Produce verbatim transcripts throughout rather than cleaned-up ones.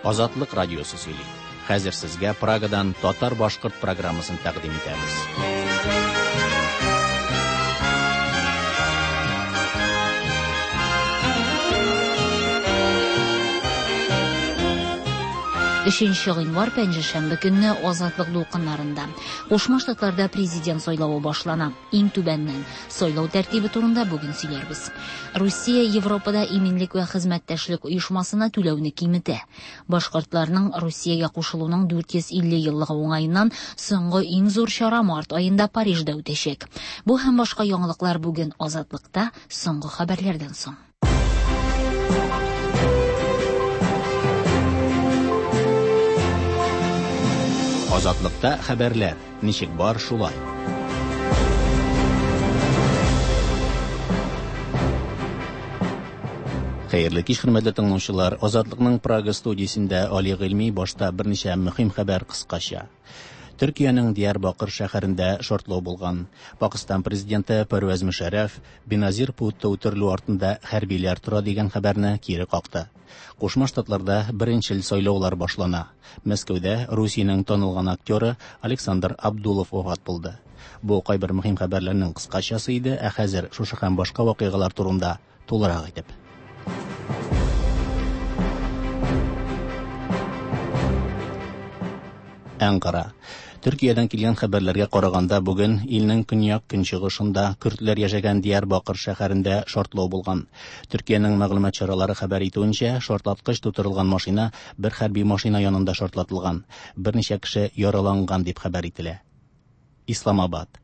Азатлык радиосы сөйли. Хәзер сезгә Прагадан татар-башкорт программасын тәкъдим итәбез. Өченче гыйнвар пәнҗешәмбе көнне Азатлык дулкыннарында. Кушма Штатларда президент сайлавы башлана. Иң түбәннән. Сайлау тәртибе турында бүген сөйләрбез. Русия Европада иминлек вә хезмәттәшлек оешмасына түләүне киметә. Башкортларның Русиягә кушылуның дүрт йөз илле еллыгы уңаеннан соңгы иң зур чара март аенда Парижда үтәчәк. Бу һәм башка яңалыклар бүген Азатлыкта соңгы хәбәрләрдән соң. Азатлыкта хәбәрләр ничек бар шулай. Хәерле кич, хөрмәтле тыңлаучылар. Азатлыкның Прага студиясендә Али Гыйльми башта берничә мөһим хәбәр кыскача. Төркиянең Диярбакыр шәһәрендә шартлау булган. Пакистан президенты Пәрвәз Мөшәррәф Беназир Бутто үтерелү артында хәрбиләр тора дигән хәбәрне кире какты. Кушма Штатларда беренчел сайлаулар башлана. Мәскәүдә Русиянең танылган актеры Александр Абдулов вафат булды. Бу кайбер мөһим хәбәрләрнең кыскачасы иде, ә хәзер шушы һәм башка вакыйгалар турында тулырак итеп. Әнкара. Төркиядән килгән хәбәрләргә караганда бүген илнең көньяк көнчыгышында көрдләр яшәгән Диярбакыр шәһәрендә шартлау булган. Төркиянең мәгълүмат чаралары хәбәр итүенчә, шартлаткыч тутырылган машина бер хәрби машина янында шартлатылган. Берничә кеше яраланган дип хәбәр ителә. Исламабад.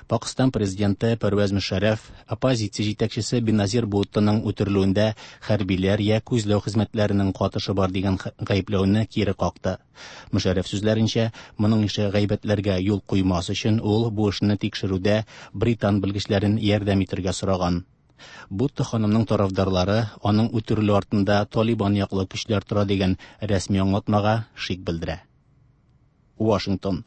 Пакистан президенты Пәрвәз Мөшәррәф оппозиция җитәкчесе Беназир Буттоның үтерелүендә хәрбиләр я күзләү хезмәтләренең катышы бар дигән гаепләүне кире какты. Мөшәррәф сүзләренчә, моның ише гайбәтләргә юл куймас өчен ул бу эшне тикшерүдә британ белгечләрен ярдәм итәргә сораган. Бутто ханымның тарафдарлары аның үтерелү артында Талибан яклы көчләр тора дигән рәсми аңлатмага шик белдерә. Вашингтон.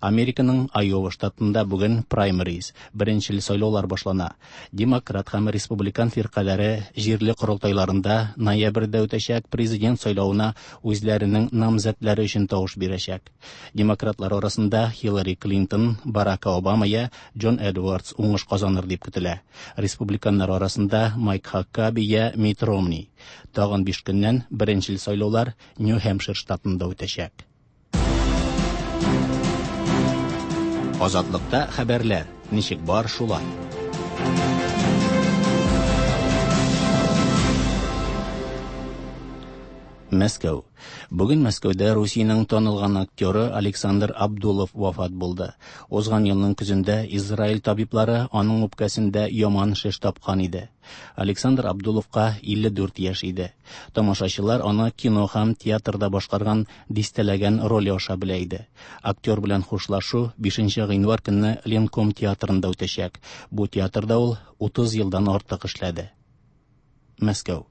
Американың Айова штатында бүген праймериз, беренчел сайлаулар башлана. Демократ һәм республикан фиркаләре җирле корылтайларында ноябрьдә үтәчәк президент сайлавына үзләренең намзәтләре өчен тавыш бирәчәк. Демократлар арасында Хиллари Клинтон, Барак Обама я Джон Эдвардс уңыш казаныр дип көтелә. Республиканнар арасында Майк Хаккаби я Митт Ромни. Тагын биш көннән беренчел сайлаулар Нью-Хэмпшир штатында үтәчәк. Азатлыкта хәбәрләр ничек бар шулай. Мәскәү. Бүген Мәскәүдә Русиянең танылган актеры Александр Абдулов вафат булды. Узган елның көзендә Израиль табиблары аның үпкәсендә яман шеш тапкан иде. Александр Абдуловка илле дүрт яшь иде. Тамашачылар аны кино һәм театрда башкарган дистәләгән роль аша белә иде. Актер белән хушлашу бишенче гыйнвар көнне Ленком театрында үтәчәк. Бу театрда ул утыз елдан артык эшләде. Мәскәү.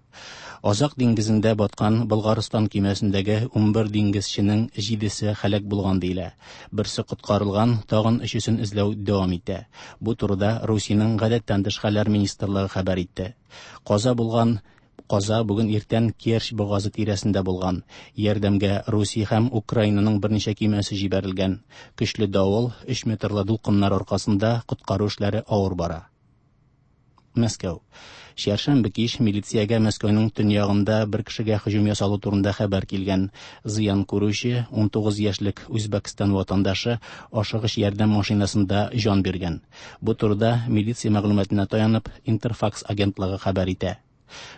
Азак диңгезендә баткан Болгарстан көймәсендәге унбер диңгезченең җидесе һәлак булган диелә. Берсе коткарылган, тагын өчесен эзләү дәвам итә. Бу турыда Русиянең гадәттән тыш хәлләр министрлыгы хәбәр итте. Каза булган Каза бүген иртән Керчь бугазы тирәсендә булган. Ярдәмгә Русия һәм Украинаның берничә көймәсе җибәрелгән. Көчле давыл, өч метрлы дулкыннар аркасында коткару эшләре авыр бара. Мәскәү. Чәршәмбе кич милициягә Мәскәүнең төньягында бер кешегә һөҗүм ясалу турында хәбәр килгән. Зыян күрүче унтугыз яшьлек Үзбәкстан ватандашы ашыгыч ярдәм машинасында җан биргән. Бу турыда милиция мәгълүматына таянып Интерфакс агентлыгы хәбәр итә.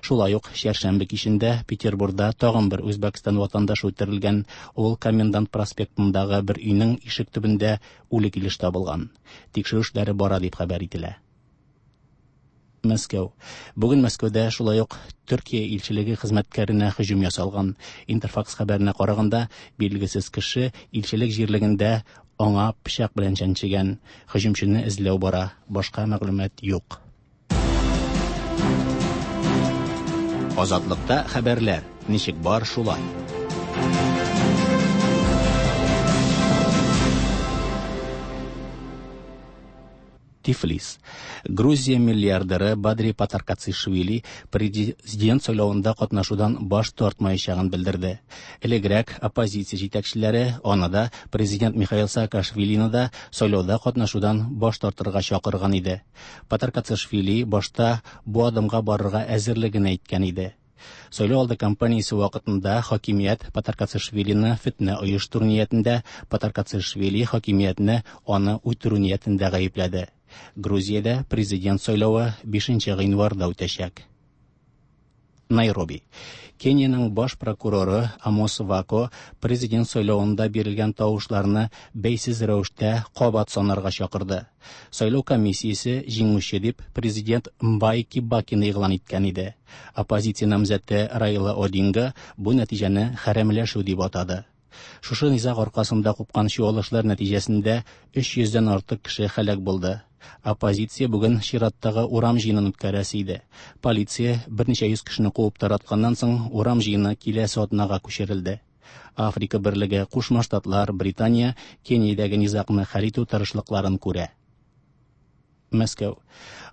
Шулай ук чәршәмбе кичендә Петербургда тагын бер Үзбәкстан ватандашы үтерелгән. Ул Комендант проспектындагы бер өйнең ишек төбендә үле килеш табылган. Тикшерү эшләре бара дип хәбәр ителә. Мәскәү. Бүген Мәскәүдә шулай ук Төркия илчелеге хезмәткәренә һөҗүм ясалган. Интерфакс хәбәренә караганда, билгесез кеше илчелек җирлегендә аңа пычак белән чәнчегән. Һөҗүмчене эзләү бара. Башка мәгълүмат юк. Азатлыкта хәбәрләр ничек бар шулай. Тифлис. Грузия миллиардеры Бадри Патаркацишвили президент сайлавында катнашудан баш тартмаячагын белдерде. Элегрәк оппозиция җитәкчеләре аны да, президент Михаил Саакашвилины да сайлауда катнашудан баш тартырга чакырган иде. Патаркацишвили башта бу адымга барырга әзерлеген әйткән иде. Сайлау алды кампаниясе вакытында хакимият Патаркацишвилины фетнә оештыру ниятендә, Патаркацишвили хакимиятне аны үтерү ниятендә гаепләде. Грузиядә президент сайлавы бишенче гыйнварда үтәчәк. Найроби. Кениянең баш прокуроры Амос Вако президент сайлавында бирелгән тавышларны бәйсез рәвештә кабат санарга чакырды. Сайлау комиссиясе җиңүче дип президент Мбай Кибакины игълан иткән иде. Оппозиция намзәте Райла Одинга бу нәтиҗәне хәрәмләшү дип атады. Шушы низаг аркасында купкан чуалышлар нәтиҗәсендә өч йөздән артык кеше һәлак булды. Оппозиция бүген чираттагы урам җыенын үткәрәсе иде. Полиция берничә йөз кешене куып таратканнан соң урам җыены киләсе атнага күчерелде. Африка берлеге, Кушма Штатлар, Британия Кениядәге низагны хәл итү тырышлыкларын күрә. Мәскәү.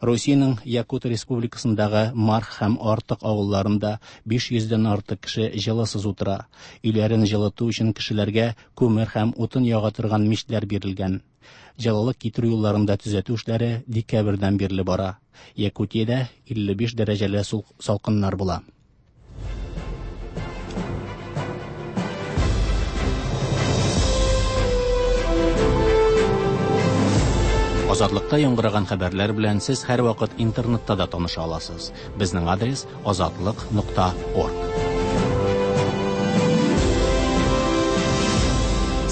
Русиянең Якут Республикасындагы Марх һәм Артык авылларында биш йөздән артык кеше җылысыз утыра. Өйләрен җылыту өчен кешеләргә күмер һәм утын яга торган мичләр бирелгән. Җылылык китерү юлларында төзәтү эшләре декабрьдән бирле бара. Якутиядә илле биш дәрәҗәле салкыннар була. Азатлыкта яңгыраган хәбәрләр белән сез һәрвакыт интернетта да таныша аласыз. Безнең адрес азатлык нокта орг.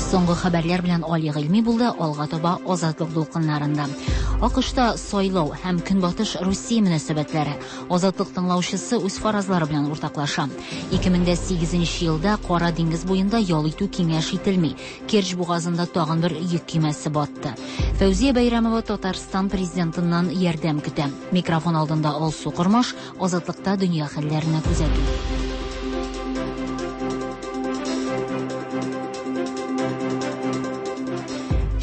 Соңгы хәбәрләр белән Али Гыйльми булды, алга таба Азатлык дулкыннарында. АКШта сайлау һәм Көнбатыш Русия мөнәсәбәтләре. Азатлык тыңлаучысы үз фаразлары белән уртаклаша. ике мең дә сигезенче елда Кара диңгез буенда ял итү киңәш ителми. Керч бугазында тагын бер йөк көймәсе батты. Фәүзия Бәйрәмова Татарстан президентыннан ярдәм көтә. Микрофон алдында Алсу Кормаш, Азатлыкта дөнья хәлләренә күзәтү.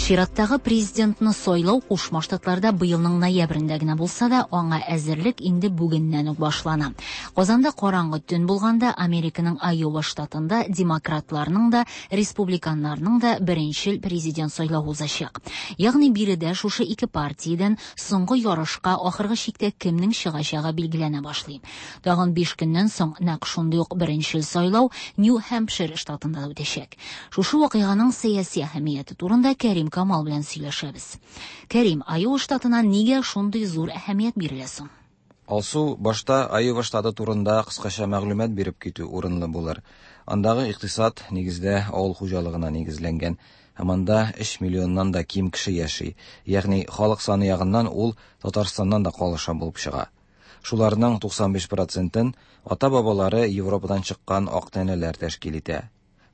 Чираттагы президентны сайлау Кушма Штатларда быелның ноябрендә генә булса да, аңа әзерлек инде бүгеннән үк башлана. Казанда караңгы төн булганда Американың Айова штатында демократларның да, республиканнарның да беренчел президент сайлавы узачак. Ягъни биредә шушы ике партиядән соңгы ярышка ахыргы чиктә кемнең чыгачагы билгеләнә башлый. Тагын биш көннән соң нәкъ шундый ук беренчел сайлау Нью-Хэмпшир штатында да үтәчәк. Шушы вакыйганың сәяси әһәмияте турында Кәрим Камал белән сөйләшәбез. Кәрим, Айова штатына нигә шундый зур әһәмият бирелә соң? Алсу, башта Айова штаты турында кыскача мәгълүмат биреп китү урынлы булыр. Андагы икътисад нигездә авыл хуҗалыгына нигезләнгән һәм анда өч миллионнан да ким кеше яши. Ягъни халык саны ягыннан ул Татарстаннан да калыша булып чыга. Шуларның туксан биш процентын ата-бабалары Европадан чыккан ак тәнеләр тәшкил итә.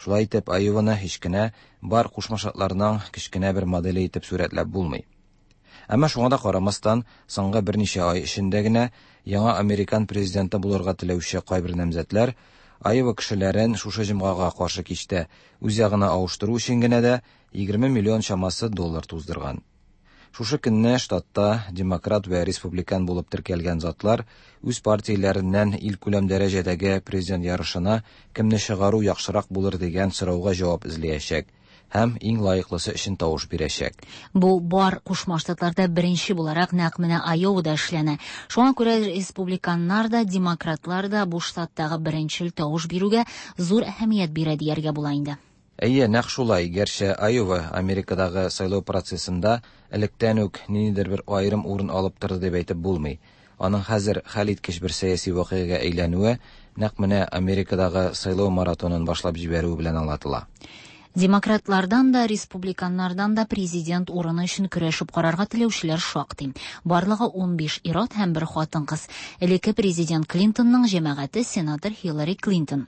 Шулай итеп, Айованы һич кенә бар Кушма Штатларның кечкенә бер моделе итеп сурәтләп булмый. Әмма шуңа да карамастан, соңгы берничә ай эчендә генә яңа американ президенты булырга теләүче кайбер намзәтләр Айова кешеләрен шушы җомгага каршы кичтә үз ягына авыштыру өчен генә дә егерме миллион чамасы доллар туздырган. Шушы көнне штатта демократ вә республикан булып теркәлгән затлар үз партияләреннән илкүләм дәрәҗәдәге президент ярышына кемне чыгару яхшырак булыр дигән сорауга җавап эзләячәк һәм иң лаеклысы өчен тавыш бирәчәк. Бу бар Кушма Штатларда беренче буларак нәкъ менә Айовада эшләнә. Шуңа күрә республиканнар да, демократлар да бу штаттагы беренчел тавыш бирүгә зур әһәмият бирә дияргә була инде. Әйе, нәкъ шулай. Гәрчә Айова Америкадагы сайлау процессында электән үк ниндидер бер аерым урын алып торды дип әйтеп булмый. Аның хәзер хәл иткеч бер сәяси вакыйгага әйләнүе нәкъ менә Америкадагы сайлау маратонын башлап җибәрүе белән аңлатыла. Демократлардан да, республиканнардан да президент урыны өчен көрәшеп карарга теләүчеләр шактый. Барлыгы ун биш ир-ат һәм бер хатын-кыз. Элекке президент Клинтонның җәмәгате сенатор Хиллари Клинтон.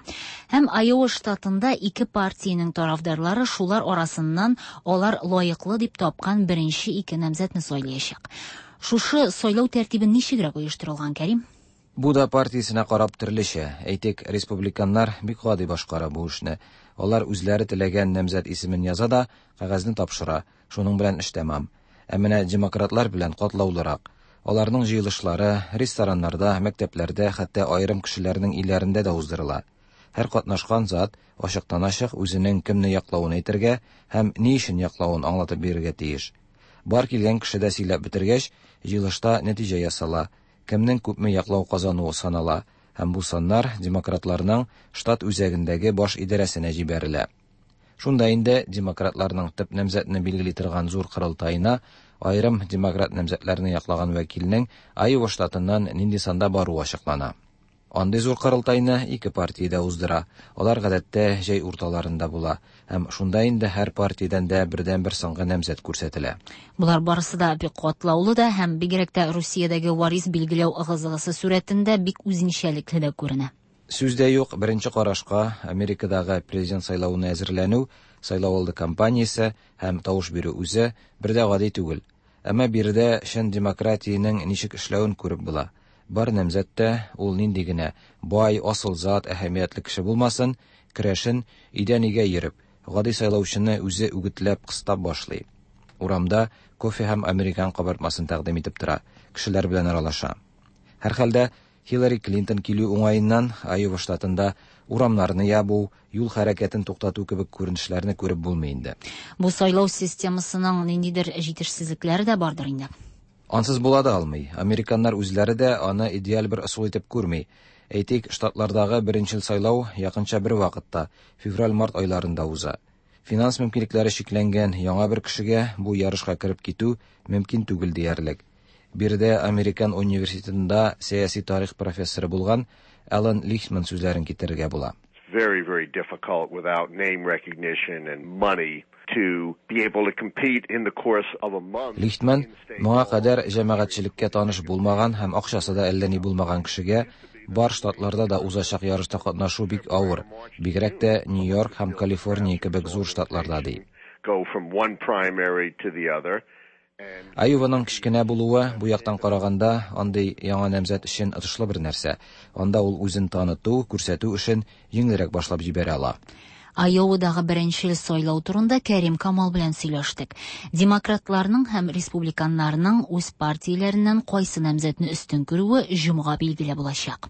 Һәм Айова штатында ике партиянең тарафдарлары шулар арасыннан алар лаеклы дип тапкан беренче ике намзәтне сайлаячак. Шушы сайлау тәртибе ничегрәк оештырылган, Кәрим? Бу да партиясенә карап төрлечә. Әйтик, республиканнар бик гади башкара бу эшне. Алар үзләре теләгән намзәт исемен яза да, кәгазьне тапшыра. Шуның белән эш тәмам. Ә менә демократлар белән катлаулырак. Аларның җыелышлары рестораннарда, мәктәпләрдә, хәтта аерым кешеләрнең өйләрендә дә уздырыла. Һәр катнашкан зат ачыктан-ачык үзенең кемне яклавын әйтергә һәм ни өчен яклавын аңлатып бирергә тиеш. Бар килгән кеше дә сөйләп бетергәч, җыелышта нәтиҗә ясала, кемнең күпме яклау казануы санала һәм бу саннар демократларның штат үзәгендәге баш идарәсенә җибәрелә. Шунда инде демократларның төп намзәтне билгели торган зур корылтаена аерым демократ намзәтләрне яклаган вәкилнең Айова штатыннан нинди санда баруы ачыклана. Андый зур корылтайны ике партия дә уздыра. Алар гадәттә җәй урталарында була һәм шунда инде һәр партиядән дә бердән-бер соңгы намзәт күрсәтелә. Болар барысы да бик катлаулы да һәм бигрәк тә Русиядәге варис билгеләү ыгы-зыгысы сурәтендә бик үзенчәлекле дә күренә. Сүз дә юк, беренче карашка Америкадагы президент сайлавына әзерләнү, сайлау алды кампаниясе һәм тавыш бирү үзе бер дә гади түгел. Әмма биредә чын демократиянең ничек эшләвен күреп була. Бар намзәт тә, ул нинди генә бай, асыл зат, әһәмиятле кеше булмасын, көрәшен өйдән өйгә йөреп, гади сайлаучыны үзе үгетләп кыстап башлый. Урамда кофе һәм американ кабартмасын тәкъдим итеп тора, кешеләр белән аралаша. Һәрхәлдә Хиллари Клинтон килү уңаеннан Айова штатында урамнарны ябу, юл хәрәкәтен туктату кебек күренешләрне күреп булмый инде. Бу сайлау системасының ниндидер җитешсезлекләре дә бардыр инде. Ансыз була да алмый. Американнар үзләре дә аны идеаль бер ысул итеп күрми. Әйтик, штатлардагы беренчел сайлау якынча бер вакытта, февраль-март айларында уза. Финанс мөмкинлекләре чикләнгән яңа бер кешегә бу ярышка кереп китү мөмкин түгел диярлек. Биредә Американ университетында сәяси тарих профессоры булган Алан Лихтман сүзләрен китерергә була. Very, very difficult without name recognition and money to be able to compete in the course of a month. Лихтман моңа кадәр җәмәгатьчелеккә таныш булмаган һәм акчасы да әллә ни булмаган кешегә бар штатларда да узачак ярышта катнашу бик авыр, бигрәк тә Нью-Йорк һәм Калифорния кебек зур штатларда ди. Go from one primary to the other. Айованың кечкенә булуы бу яктан караганда андый яңа намзәт өчен отышлы бер нәрсә. Анда ул үзен таныту, күрсәтү эшен җиңелрәк башлап җибәрә ала. Айовадагы беренчел сайлау турында Кәрим Камал белән сөйләштек. Демократларның һәм республиканнарның үз партияләреннән кайсы намзәтне өстен күрүе җомга билгеле булачак.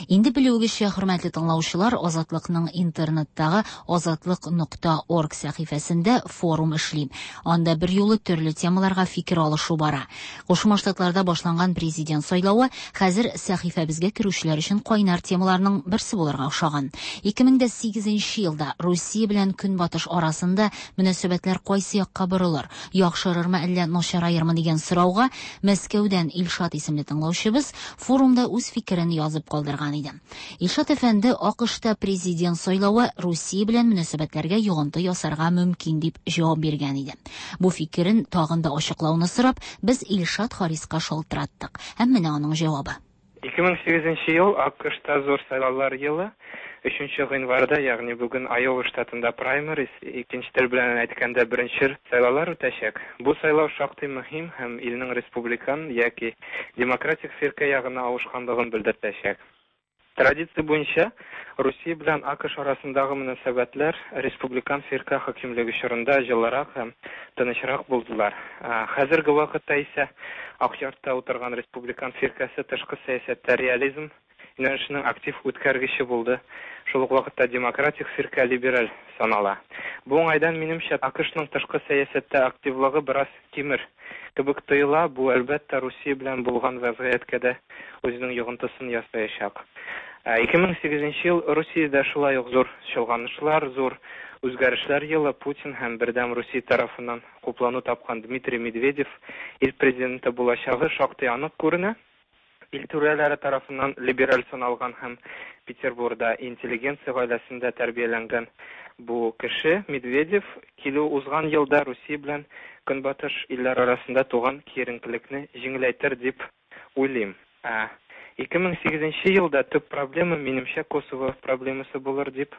Инде белүегезчә, хөрмәтле тыңлаучылар, Азатлыкның интернеттагы азатлык нокта орг сәхифәсендә форум эшли. Анда бер юлы төрле темаларга фикер алышу бара. Кушма Штатларда башланган президент сайлавы хәзер сәхифәбезгә керүчеләр өчен кайнар темаларның берсе булырга охшаган. ике мең дә сигезенче елда Русия белән Көнбатыш арасында мөнәсәбәтләр кайсы якка борылыр, яхшырырмы әллә начараермы дигән сорауга Мәскәүдән Илшат исемле тыңлаучыбыз форумда үз фикерен язып калдырган иде. Илшат әфәнде АКШта президент сайлавы Русия белән мөнәсәбәтләргә йогынты ясарга мөмкин дип җавап биргән иде. Бу фикерен тагын да ачыклауны сорап, без Илшат Хариска шалтыраттык. Һәм менә аның җавабы. ике мең сигезенче ел АКШта зур сайлаулар елы. Өченче гыйнварда, ягъни бүген Айова штатында праймерис, икенче тел белән әйткәндә беренче сайлаулар үтәчәк. Бу сайлау шактый мөһим һәм илнең республикан яки демократик фиркә ягына авышканлыгын белдертәчәк. Традиция буенча Русия белән АКШ арасындагы мөнәсәбәтләр республикан фиркә хакимлеге чорында җылырак һәм тынычрак булдылар. Хәзерге вакытта исә Ак йортта утырган республикан фиркәсе тышкы сәясәттә реализм юнәлешенең актив үткәргече булды. Шул ук вакытта демократик фиркә либераль санала. Бу уңайдан минемчә АКШның тышкы сәясәттә активлыгы бераз кимер кебек тоела. Бу әлбәттә Русия белән булган вазгыятькә дә үзенең йогынтысын ясаячак. ике мең сигезенче ел Русиядә шулай ук зур чолганышлар, зур үзгәрешләр елы. Путин һәм Бердәм Русия тарафыннан хуплану тапкан Дмитрий Медведев ил президенты булачагы шактый анык күренә. Ил түрәләре тарафыннан либераль саналган һәм Петербургда интеллигенция гаиләсендә тәрбияләнгән бу кеше Медведев килү узган елда Русия белән Көнбатыш илләр арасында туган киеренкелекне җиңеләйтер дип уйлыйм. ике мең сигезенче елда төп проблема минемчә Косово проблемасы булыр дип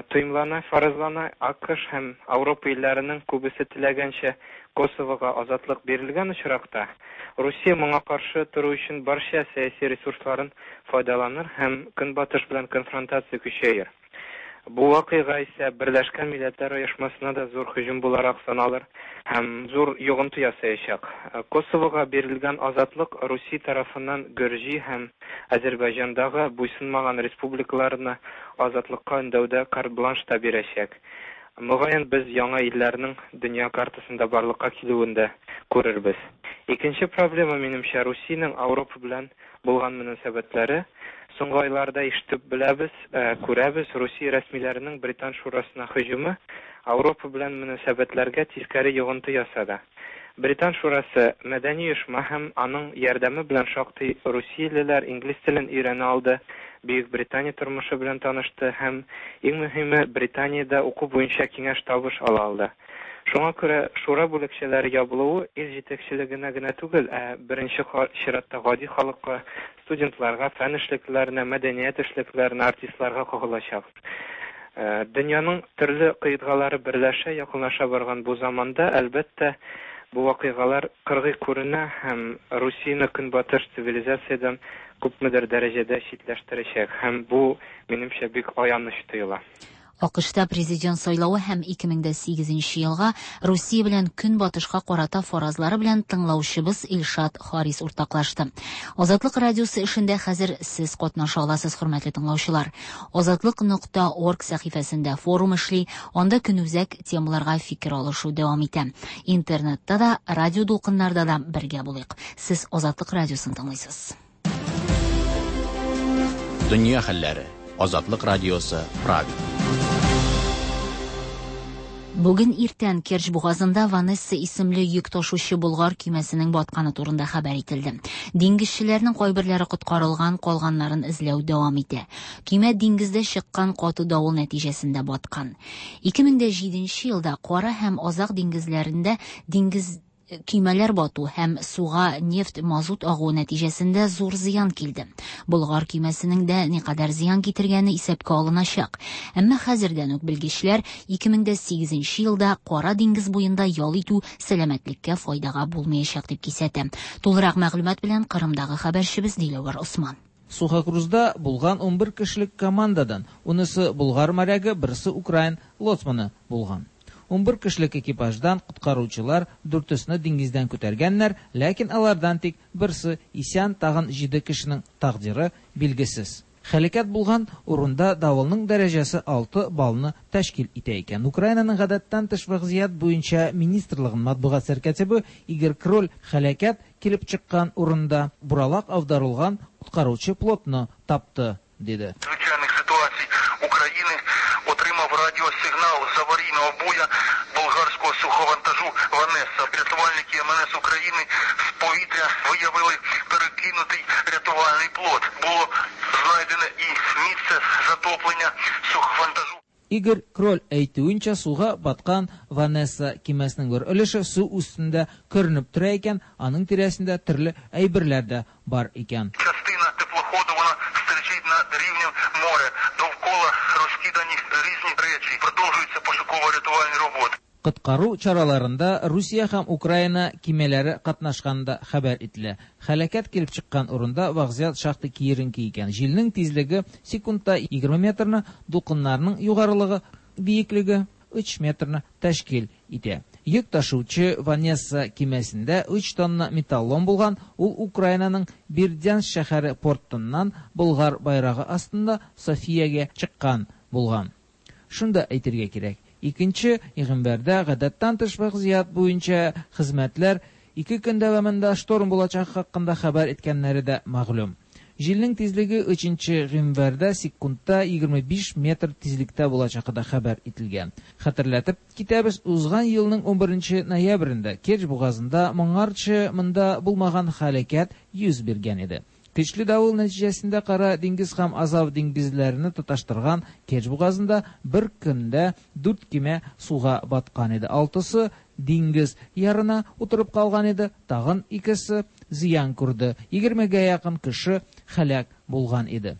тоемлана, фаразлана. АКШ һәм Ауропа илләренең күбесе теләгәнчә Косовога азатлык бирелгән очракта Русия моңа каршы тору өчен барча сәяси ресурсларын файдаланыр һәм Көнбатыш белән конфронтация көчәер. Бу вакыйга исә Берләшкән Милләтләр Оешмасына да зур һөҗүм буларак саналыр һәм зур йогынты ясаячак. Косовога бирелгән азатлык Русия тарафыннан Гөрҗи һәм Азәрбайҗандагы буйсынмаган республикаларны азатлыкка өндәүдә карт-бланш та бирәчәк. Мөгаен, без яңа илләрнең дөнья картасында барлыкка килүен дә күрербез. Икенче проблема, минемчә, Русиянең Ауропа белән булган мөнәсәбәтләре. Соңгы айларда ишетеп беләбез, күрәбез, Русия рәсмиләренең Британ шурасына һөҗүме Ауропа белән мөнәсәбәтләргә тискәре йогынты ясады. Британ шурасы мәдәни оешма һәм аның ярдәме белән шактый русиялеләр инглиз телен өйрәнә алды, Бөек Британия тормышы белән танышты һәм, иң мөһиме, Британиядә уку буенча киңәш-табыш ала алды. Шуңа күрә шура бүлекчәләре ябылуы ил җитәкчелегенә генә түгел, ә беренче чиратта гади халыкка, студентларга, фән эшлеклеләренә, мәдәният эшлеклеләренә, артистларга кагылачак. Дөньяның төрле кыйтгалары берләшә, якынлаша барган бу заманда, әлбәттә, бу вакыйгалар кыргый күренә һәм Русияне көнбатыш цивилизациядән күпмедер дәрәҗәдә читләштерәчәк. Һәм бу, минемчә, бик аяныч тоела. АКШта президент сайлавы һәм ике мең дә сигезенче елга Русия белән Көнбатышка карата фаразлары белән тыңлаучыбыз Илшат Харис уртаклашты. Азатлык радиосы эшендә хәзер сез катнаша аласыз, хөрмәтле тыңлаучылар. Азатлык нокта орг сәхифәсендә форум эшли, анда көнүзәк темаларга фикер алышу дәвам итә. Интернетта да, радио дулкыннарда да бергә булыйк. Сез Азатлык радиосын тыңлыйсыз. Дөнья хәлләре. Азатлык радиосы, Прага. Бүген иртән Керчь бугазында Ванесса исемле йөк ташучы Болгар көймәсенең батканы турында хәбәр ителде. Диңгезчеләрнең кайберләре коткарылган, калганнарын эзләү дәвам итә. Көймә диңгездә чыккан каты давыл нәтиҗәсендә баткан. Ике мең дә җиденче елда Кара һәм Азак диңгезләрендә диңгез көймәләр бату һәм суга нефть мазут агуы нәтиҗәсендә зур зыян килде. Болгар көймәсенең дә никадәр зыян китергәне исәпкә алыначак. Әмма хәзердән үк белгечләр ике мең дә сигезенче елда Кара диңгез буенда ял итү сәламәтлеккә файдага булмаячак дип кисәтә. Тулырак мәгълүмат белән Кырымдагы хәбәрчебез Диләвәр Осман. Сухокрузда булган ун бер кешелек командадан унысы Болгар морягы, берсе украин лоцманы булган. Ун бер кешелек экипаждан коткаручылар дүртесне диңгездән күтәргәннәр, ләкин алардан тик берсе исән, тагын җиде кешенең тәкъдире билгесез. Һәлакәт булган урында давылның дәрәҗәсе алты баллны тәшкил итә икән. Украинаның гадәттән тыш вазгыять буенча министрлыгының матбугат сәркатибы Игорь Кроль һәлакәт килеп чыккан урында буралак аударылган коткаручы плотны тапты, диде. Чрезвычайных ситуаций Украины отримав радіосигнал з аварійного буя болгарського суховантажу «Ванесса». Рятувальники М Н С України з повітря виявили перекинутий рятувальний плот. Було знайдене і місце затоплення суховантажу. Игорь Кроль әйтүенчә, суга баткан Ванесса кимәсенең бер өлеше су өстендә күренеп тора икән, аның тирәсендә төрле әйберләр дә бар икән. Частина теплоходу вона стерчить над рівнем моря. Довкола розкидані різні речі. Продовжуються пошуково-рятувальні роботи. Коткару чараларында Русия һәм Украина кимәләре катнашканда хәбәр ителә. Һәлакәт килеп чыккан урында вазгыять шактый киеренке икән. Җилнең тизлеге секундта егерме метрны, дулкыннарның югарылыгы биеклеге өч метрны тәшкил итә. Йөк ташучы Ванесса кимәсендә өч тонна металлом булган, ул Украинаның Бердянск шәһәре портыннан Болгар байрагы астында Софиягә чыккан булган. Шунда әйтергә кирәк, икенче гыйнварда гадәттән тыш вазгыять буенча хезмәтләр ике көн дәвамында шторм булачагы хакында хәбәр иткәннәре дә мәгълүм. Җилнең тизлеге өченче гыйнварда секундта егерме биш метр тизлектә булачагы да хәбәр ителгән. Хәтерләтеп китәбез, узган елның унберенче ноябрендә Керчь бугазында моңарчы монда булмаган һәлакәт йөз биргән иде. Көчле давыл нәтиҗәсендә Кара диңгез һәм Азов диңгезләрен тоташтырган Керчь бугазында бер көндә дүрт кимә суга баткан иде. Алтысы диңгез ярына утырып калган иде, тагын икесе зыян күрде. Егермегә якын кеше һәлак булган иде.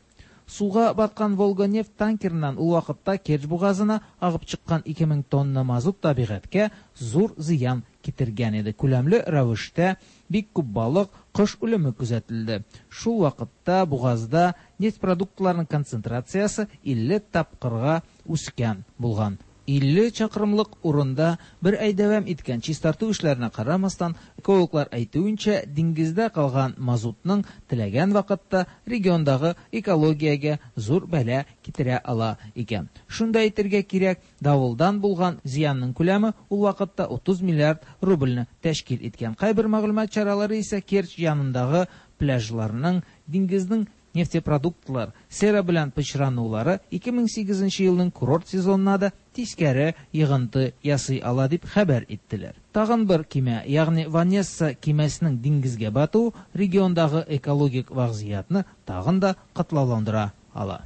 Суга баткан Волга нефть танкерыннан ул вакытта Керчь бугазына агып чыккан ике мең тонна мазут табигатькә зур зыян китергән иде. Күләмле рәвештә бик күп балык, кош үлеме күзәтелде. Шул вакытта бугазда нефть продуктларының концентрациясе илле тапкырга үскән булган. Илле чакрымлык урында бер ай дәвам иткән чистарту эшләренә карамастан, экологлар әйтүенчә, диңгездә калган мазутның теләгән вакытта региондагы экологиягә зур бәла китерә ала икән. Шунда әйтергә кирәк, давылдан булган зыянның күләме ул вакытта утыз миллиард рубльне тәшкил иткән. Кайбер мәгълүмат чаралары исә Керчь янындагы пляжларның диңгезнең нефтепродуктлар сера белән пычранулары ике мең сигезенче елның курорт сезонына да тискәре йыгынты ясый ала дип хәбәр иттеләр. Тагын бер кимә, ягъни Ванесса кимәсенең диңгезгә батуы региондагы экологик вазгыятьне тагын да катлауландыра ала.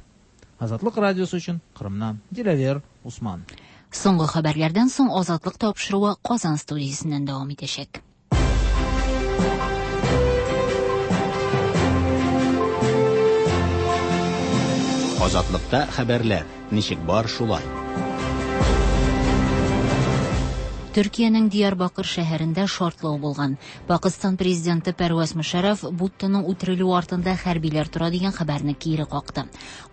Азатлык радиосы өчен Кырымнан Диләвер Усман. Соңгы хәбәрләрдән соң Азатлык тапшыруы Казан студиясеннән дәвам итәчәк. Азатлыкта хәбәрләр ничек бар шулай. Төркиянең Диярбакыр шәһәрендә шартлау булган. Пакистан президенты Пәрвәз Мөшәрәф Буттоның үтерелүе артында хәрбиләр тора дигән хәбәрне кире какты.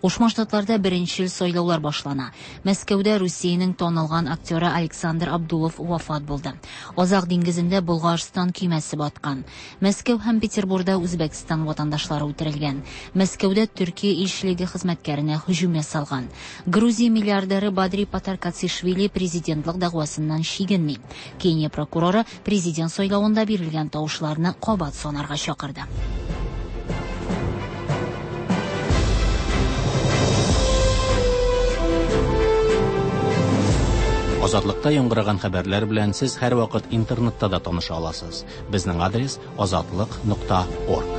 Кушма Штатларда беренчел сайлаулар башлана. Мәскәүдә Русиянең танылган актеры Александр Абдулов вафат булды. Азак диңгезендә Болгарстан көймәсе баткан. Мәскәү һәм Петербургда Үзбәкстан ватандашлары үтерелгән. Мәскәүдә Төркия илчелеге хезмәткәренә һөҗүм ясалган. Грузия миллиардеры Бадри Патаркацишвили президентлык дәгъвасыннан чигенми. Кения прокуроры президент сайлавында бирелгән тавышларны кабат санарга чакырды. Азатлыкта яңгыраган хәбәрләр белән сез һәрвакыт интернетта да таныша аласыз. Безнең адрес азатлык нокта орг.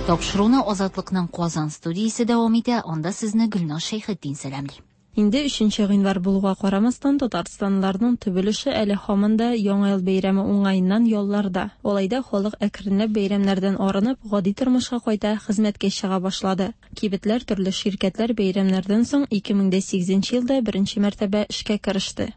Тапшыруны Азатлыкның Казан студиясе дәвам итә. Анда сезне Гөлназ Шәйхетдин сәламли. Инде өченче гыйнвар булуга карамастан, татарстанлыларның төп өлеше әле һаман да Яңа ел бәйрәме уңаеннан ялларда. Алай да халык әкренләп бәйрәмнәрдән арынып, гади тормышка кайта, хезмәткә чыга башлады. Кибетләр, төрле ширкәтләр бәйрәмнәрдән соң ике мең дә сигезенче елда беренче мәртәбә эшкә кереште.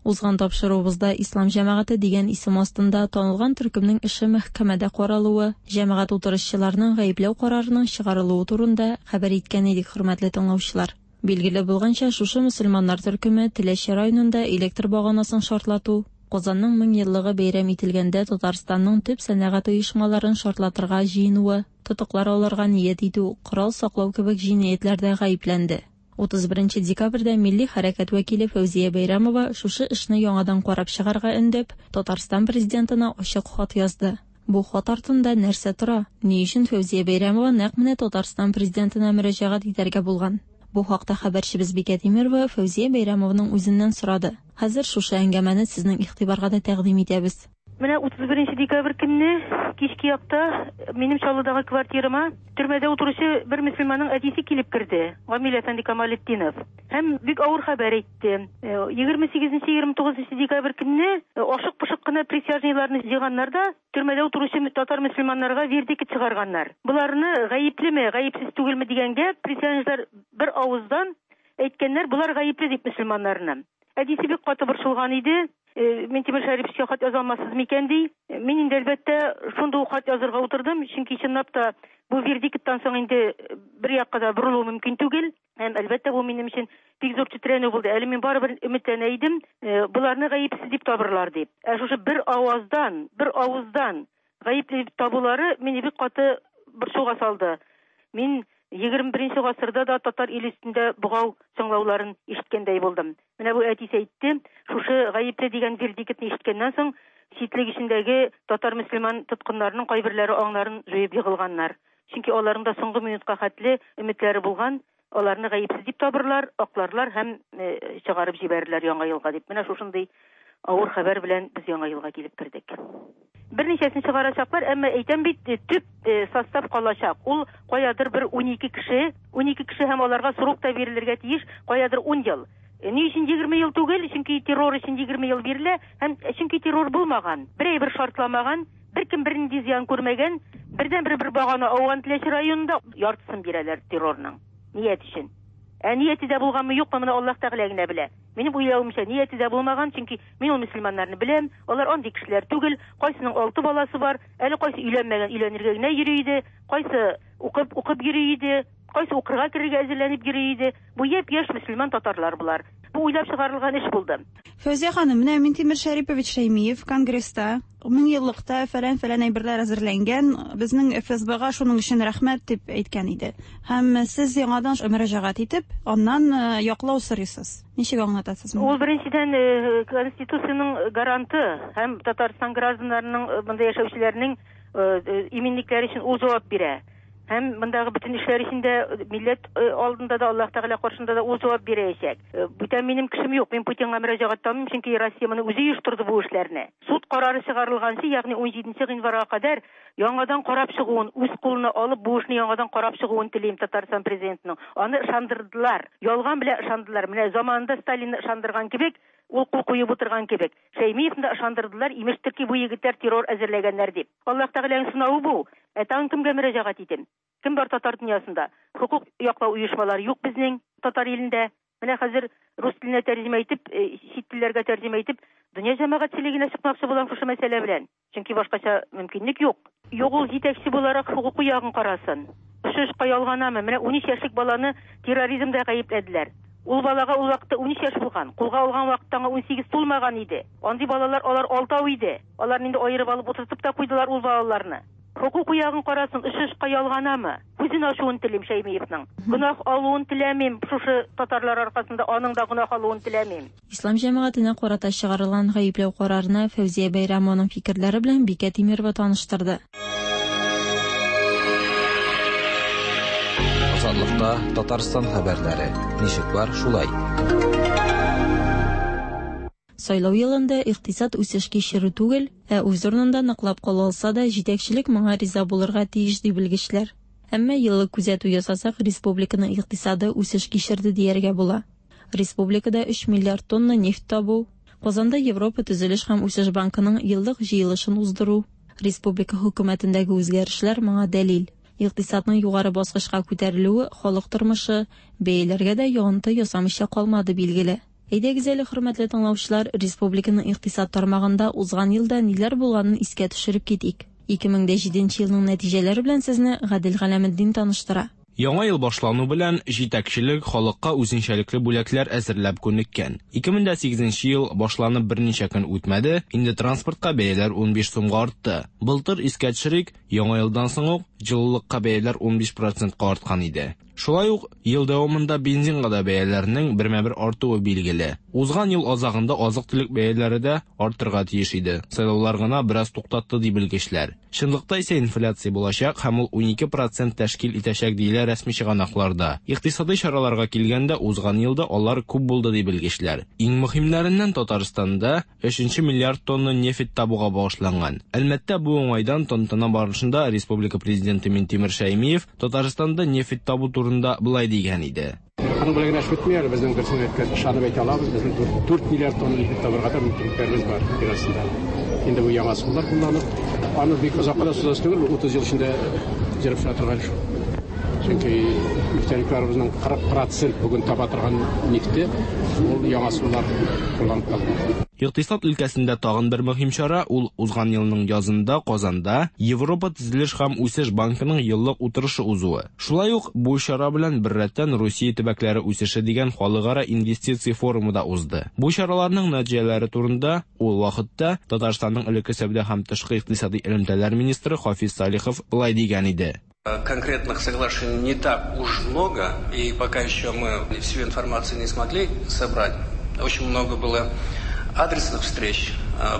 Узган тапшыруыбызда Ислам җәмәгате дигән исем астында танылган төркемнең эше мәхкәмәдә каралуы, җәмәгать утырышчыларының гаепләү карарының чыгарылуы турында хәбәр иткән идек, хөрмәтле тыңлаучылар. Билгеле булганча, шушы мөселманнар төркеме Теләче районында электр баганасын шартлату, Казанның мең еллыгы бәйрәм ителгәндә Татарстанның төп сәнәгать оешмаларын шартлатырга җыенуы, тотыклар алырга ният итү, корал саклау кебек җинаятьләрдә гаепләнде. утыз беренче декабрьдә милли хәрәкәт вәкиле Фәүзия Бәйрәмова шушы эшне яңадан карап чыгарга өндәп, Татарстан президентына ачык хат язды. Бу хат артында нәрсә тора? Ни өчен Фәүзия Бәйрәмова нәкъ менә Татарстан президентына мөрәҗәгать итәргә булган? Бу хакта хәбәрчебез Бикә Тимирова Фәүзия Бәйрәмованың үзеннән сорады. Хәзер шушы әңгәмәне сезнең игътибарга да тәкъдим итәбез. Менә утыз беренче декабрь көнне кичке якта минем Чаллыдагы квартирама төрмәдә утыручы бер мөселманның әтисе килеп керде, Гамил әфәнде Камалетдинов. Һәм бик авыр хәбәр әйтте. Егерме сигезенче, егерме тугызынчы декабрь көнне ашык-пошык кына присяжныйларны җыйганнар да төрмәдә утыручы татар мөселманнарга вердикт чыгарганнар. Буларны гаеплеме, гаепсез түгелме дигәнгә присяжныйлар бер авыздан әйткәннәр, булар гаепле дип мөселманнарны. Әтисе бик каты борчылган иде. Минтимер Шәриповичка хат яза алмассыз микән ди. Мин инде әлбәттә шундый ук хат язырга утырдым, чөнки чынлап та бу вердикттан соң инде бер якка да борылу мөмкин түгел. Һәм әлбәттә бу минем өчен бик зур тетрәнү булды. Әле мин барыбер өметләнә идем, буларны гаепсез дип табырлар дип. Ә шушы бер аваздан, бер авыздан гаепле дип табулары мине бик каты борчуга салды. Мин егерме беренче гасырда да татар иле өстендә богау чыңлауларын ишеткәндәй булдым. Менә бу әтисе әйтте, шушы гаепле дигән вердиктны ишеткәннән соң читлек эчендәге татар мөселман тоткыннарының кайберләре аңнарын җуеп егылганнар. Чөнки аларның да соңгы минутка хәтле өметләре булган, аларны гаепсез дип табырлар, акларлар һәм чыгарып җибәрерләр яңа елга дип. Менә шушындый авыр хәбәр белән без яңа елга килеп кердек. Берничәсен чыгарачаклар, әмма әйтәм бит, төп состав калачак. Ул каядыр бер унике кеше, унике кеше һәм аларга срок та бирелергә тиеш, каядыр ун ел. Ни өчен егерме ел түгел? Чөнки террор өчен егерме ел бирелә, һәм чөнки террор булмаган, бер әйбер шартламаган, беркем бернинди зыян күрмәгән, бердән бер бер багана ауган Теләче районында яртысын бирәләр террорның. Ният өчен. Ә нияте дә булганмы, юкмы, моны Аллаһ Тәгалә генә белә. Минем уйлавымча, нияте дә булмаган, чөнки мин ул мөселманнарны беләм, алар андый кешеләр түгел, кайсының алты баласы бар, әле кайсы өйләнмәгән, өйләнергә генә йөри иде, кайсы укып, укып йөри иде, кайсы укырга керергә әзерләнеп йөри иде. Бу япь-яшь мөселман татарлар булар. Бу уйлап чыгарылган эш булды. Фәүзия ханым, менә Минтимер Шәрипович Шәймиев конгресста мең еллыкта фәлән-фәлән әйберләр әзерләнгән, безнең эф эс бга шуның өчен рәхмәт дип әйткән иде. Һәм сез яңадан мөрәҗәгать итеп, аннан яклау сорыйсыз. Ничек аңлатасыз моны? Ул беренчедән Конституциянең гаранты һәм Татарстан гражданнарының, монда яшәүчеләрнең иминлекләре өчен ул җавап бирә. Һәм мондагы бөтен эшләр өчен дә милләт алдында да, Аллаһ Тәгалә каршында да ул җавап бирәчәк. Бүтән минем кешем юк. Мин Путинга мөрәҗәгать итәм, чөнки Россия моны үзе оештырды бу эшләрне. Суд карары чыгарылганчы, ягъни ун җиденче гыйнварга кадәр яңадан карап чыгуын, үз кулына алып бу эшне яңадан карап чыгуын телим Татарстан президентының. Аны ышандырдылар. Ялган белән ышандылар. Менә заманында Сталинны ышандырган кебек, ул кул куеп утырган кебек. Шәймиевны да ышандырдылар, имештер ки, бу егетләр террор әзерләгәннәр дип. Аллаһ Тәгаләнең сынавы бу. Ә тагын кемгә мөрәҗәгать итим? Кем бар татар дөньясында? Хукук яклау оешмалары юк безнең татар илендә. Менә хәзер рус теленә тәрҗемә итеп, чит телләргә тәрҗемә итеп, дөнья җәмәгатьчелегенә чыкмакчы булам шушы мәсьәлә белән. Чөнки башкача мөмкинлек юк. Юк, ул җитәкче буларак хукук ягын карасын. Шушы эш каялганамы? Менә ун өч яшьлек баланы терроризмда гаепләделәр. Ул балага ул вакытта ун өч яшь булган. Кулга алган вакытта аңа ун сигез тулмаган иде. Андый балалар алар алтау иде. Аларны инде аерып алып утыртып та куйдылар ул балаларны. Хукук ягын карасын, эш эш каялганамы? Күзен ачуын телим Шәймиевның. Гөнаһ алуын теләмим, шушы татарлар аркасында аның да гөнаһ алуын теләмим. Ислам җәмәгатенә карата чыгарылган гаепләү карарына Фәүзия Бәйрәмованың фикерләре белән Бикә Тимирова таныштырды. Азатлыкта Татарстан хәбәрләре. Ничек бар, шулай. Сайлау елында икътисад үсеш кичерү түгел, ә үз урынында ныклап кала алса да, җитәкчелек моңа риза булырга тиеш ди белгечләр. Әмма еллык күзәтү ясасак, республиканың икътисады үсеш кичерде дияргә була. Республикада өч миллиард тонна нефть табу, Казанда Европа төзелеш һәм үсеш банкының еллык җыелышын уздыру, республика хөкүмәтендәге үзгәрешләр моңа дәлил. Икътисадның югары баскычка күтәрелүе халык тормышы, бәяләргә дә йогынты ясамыйча калмады билгеле. Әйдәгез әле, хөрмәтле тыңлаучылар, республиканың икътисад тармагында узган елда ниләр булганын искә төшереп китик. ике мең дә җиденче елның нәтиҗәләре белән сезне Гадел Галәметдин таныштыра. Яңа ел башлану белән җитәкчелек халыкка үзенчәлекле бүләкләр әзерләп күнеккән. ике мең дә сигезенче ел башланып берничә көн үтмәде, инде транспортка бәяләр унбиш сумга артты. Былтыр искә төшерик, яңа елдан соң ук җылылыкка бәяләр унбиш процентка арткан иде. Шулай ук ел дәвамында бензинга да бәяләрнең бермә-бер артуы билгеле. Узган ел азагында азык-төлек бәяләре дә артырга тиеш иде. Сайлаулар гына бераз туктатты ди белгечләр. Чынлыкта исә инфляция булачак һәм ул унике процент тәшкил итәчәк диелә рәсми чыганакларда. Икътисади чараларга килгәндә узган елда алар күп булды ди белгечләр. Иң мөһимнәреннән Татарстанда өченче миллиард тонна нефть табуга багышланган. Әлмәттә бу уңайдан тантана барышында республика президенты Минтимер Шәймиев Татарстанда нефть табу турында былай дигән иде. Аның белән генә эш бетми әле, безнең берсен әйткән, ышанып әйтә алабыз, безнең дүрт миллиард тонна нефть табырга да мөмкинлекләребез бар җир астында. Инде бу яңа ысуллар кулланып, аны бик озакка да сузасы түгел, утыз ел эчендә җырып чыга торган эш. Чөнки нефтяникларыбызның кырык процент бүген таба торган нефте ул яңа ысуллар кулланып табыла. Икътисад өлкәсендә тагын бер мөһим чара ул узган елның язында Казанда Европа төзелеш һәм үсеш банкының еллык утырышы узуы. Шулай ук бу чара белән беррәттән Русия төбәкләре үсеше дигән халыкара инвестиция форумы да узды. Бу чараларның нәтиҗәләре турында ул вакытта Татарстанның элекке сәүдә һәм тышкы икътисади элемтәләр министры Хафиз Салихов былай дигән иде. Конкретных соглашений не так уж много, и пока еще мы всю информацию не смогли собрать. Очень много было адресных встреч,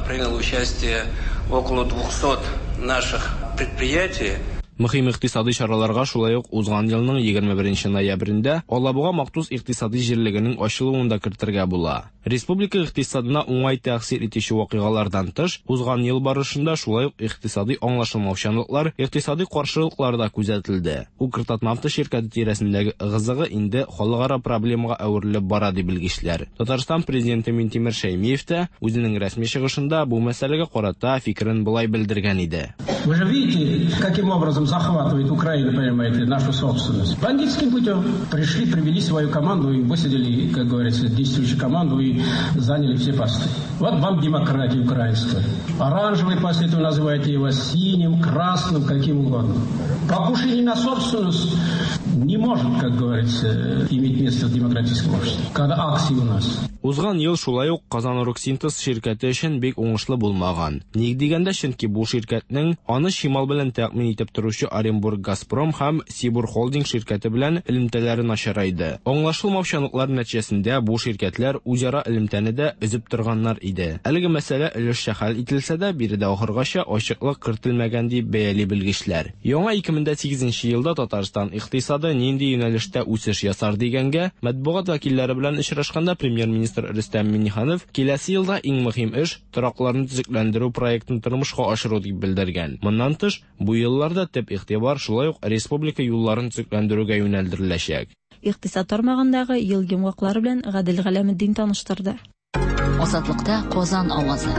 приняло участие около двухсот наших предприятий. Мөһим икътисади чараларга шулай ук узган елның егерме беренче ноябрендә Алабуга махсус икътисади җирлегенең ачылуын да кертергә була. Республика икътисадына уңай тәэсир итүче вакыйгалардан тыш, узган ел барышында шулай ук икътисади аңлашылмаучанлыклар, икътисади каршылыклар да күзәтелде. Укртатнафта ширкәте тирәсендәге ыгы-зыгы инде халыкара проблемага әверелеп бара ди белгечләр. Татарстан президенты Минтимер Шәймиев тә үзенең рәсми чыгышында бу мәсьәләгә карата фикерен болай белдергән иде. Вы же видите, каким образом захватывает Украина, понимаете, нашу собственность. Бандитским путем пришли, привели свою команду и высадили, как говорится, действующую команду и заняли все посты. Вот вам демократия украинская. Оранжевый после этого называете его, синим, красным, каким угодно. Покушение на собственность не может, как говорится, иметь место в демократическом обществе, когда акции у нас. Узган ел шулай ук Казаноргсинтез ширкәте өчен бик уңышлы булмаган. Ник дигәндә, чөнки бу ширкәтнең аны чимал белән тәэмин итеп торучы Оренбург Газпром һәм Сибур Холдинг ширкәте белән элемтәләре начарайды. Аңлашылмаучанлыклар нәтиҗәсендә бу ширкәтләр үзара элемтәне дә өзеп торганнар иде. Әлеге мәсьәлә өлешчә хәл ителсә дә, биредә ахыргача ачыклык кертелмәгән дип бәяли белгечләр. Яңа ике мең дә сигезенче елда Татарстан икътисады нинди юнәлештә үсеш ясар дигәнгә, матбугат вәкилләре белән очрашканда премьер-министр Рөстәм Миңнеханов киләсе елда иң мөһим эш торакларны төзекләндерү проектын тормышка ашыру дип белдергән. Моннан тыш, бу елларда төп игътибар шулай ук республика юлларын төзекләндерүгә юнәлдереләчәк. Икътисад тармагындагы ел йомгаклары белән Гадел Галәметдин таныштырды. Азатлыкта Казан авазы.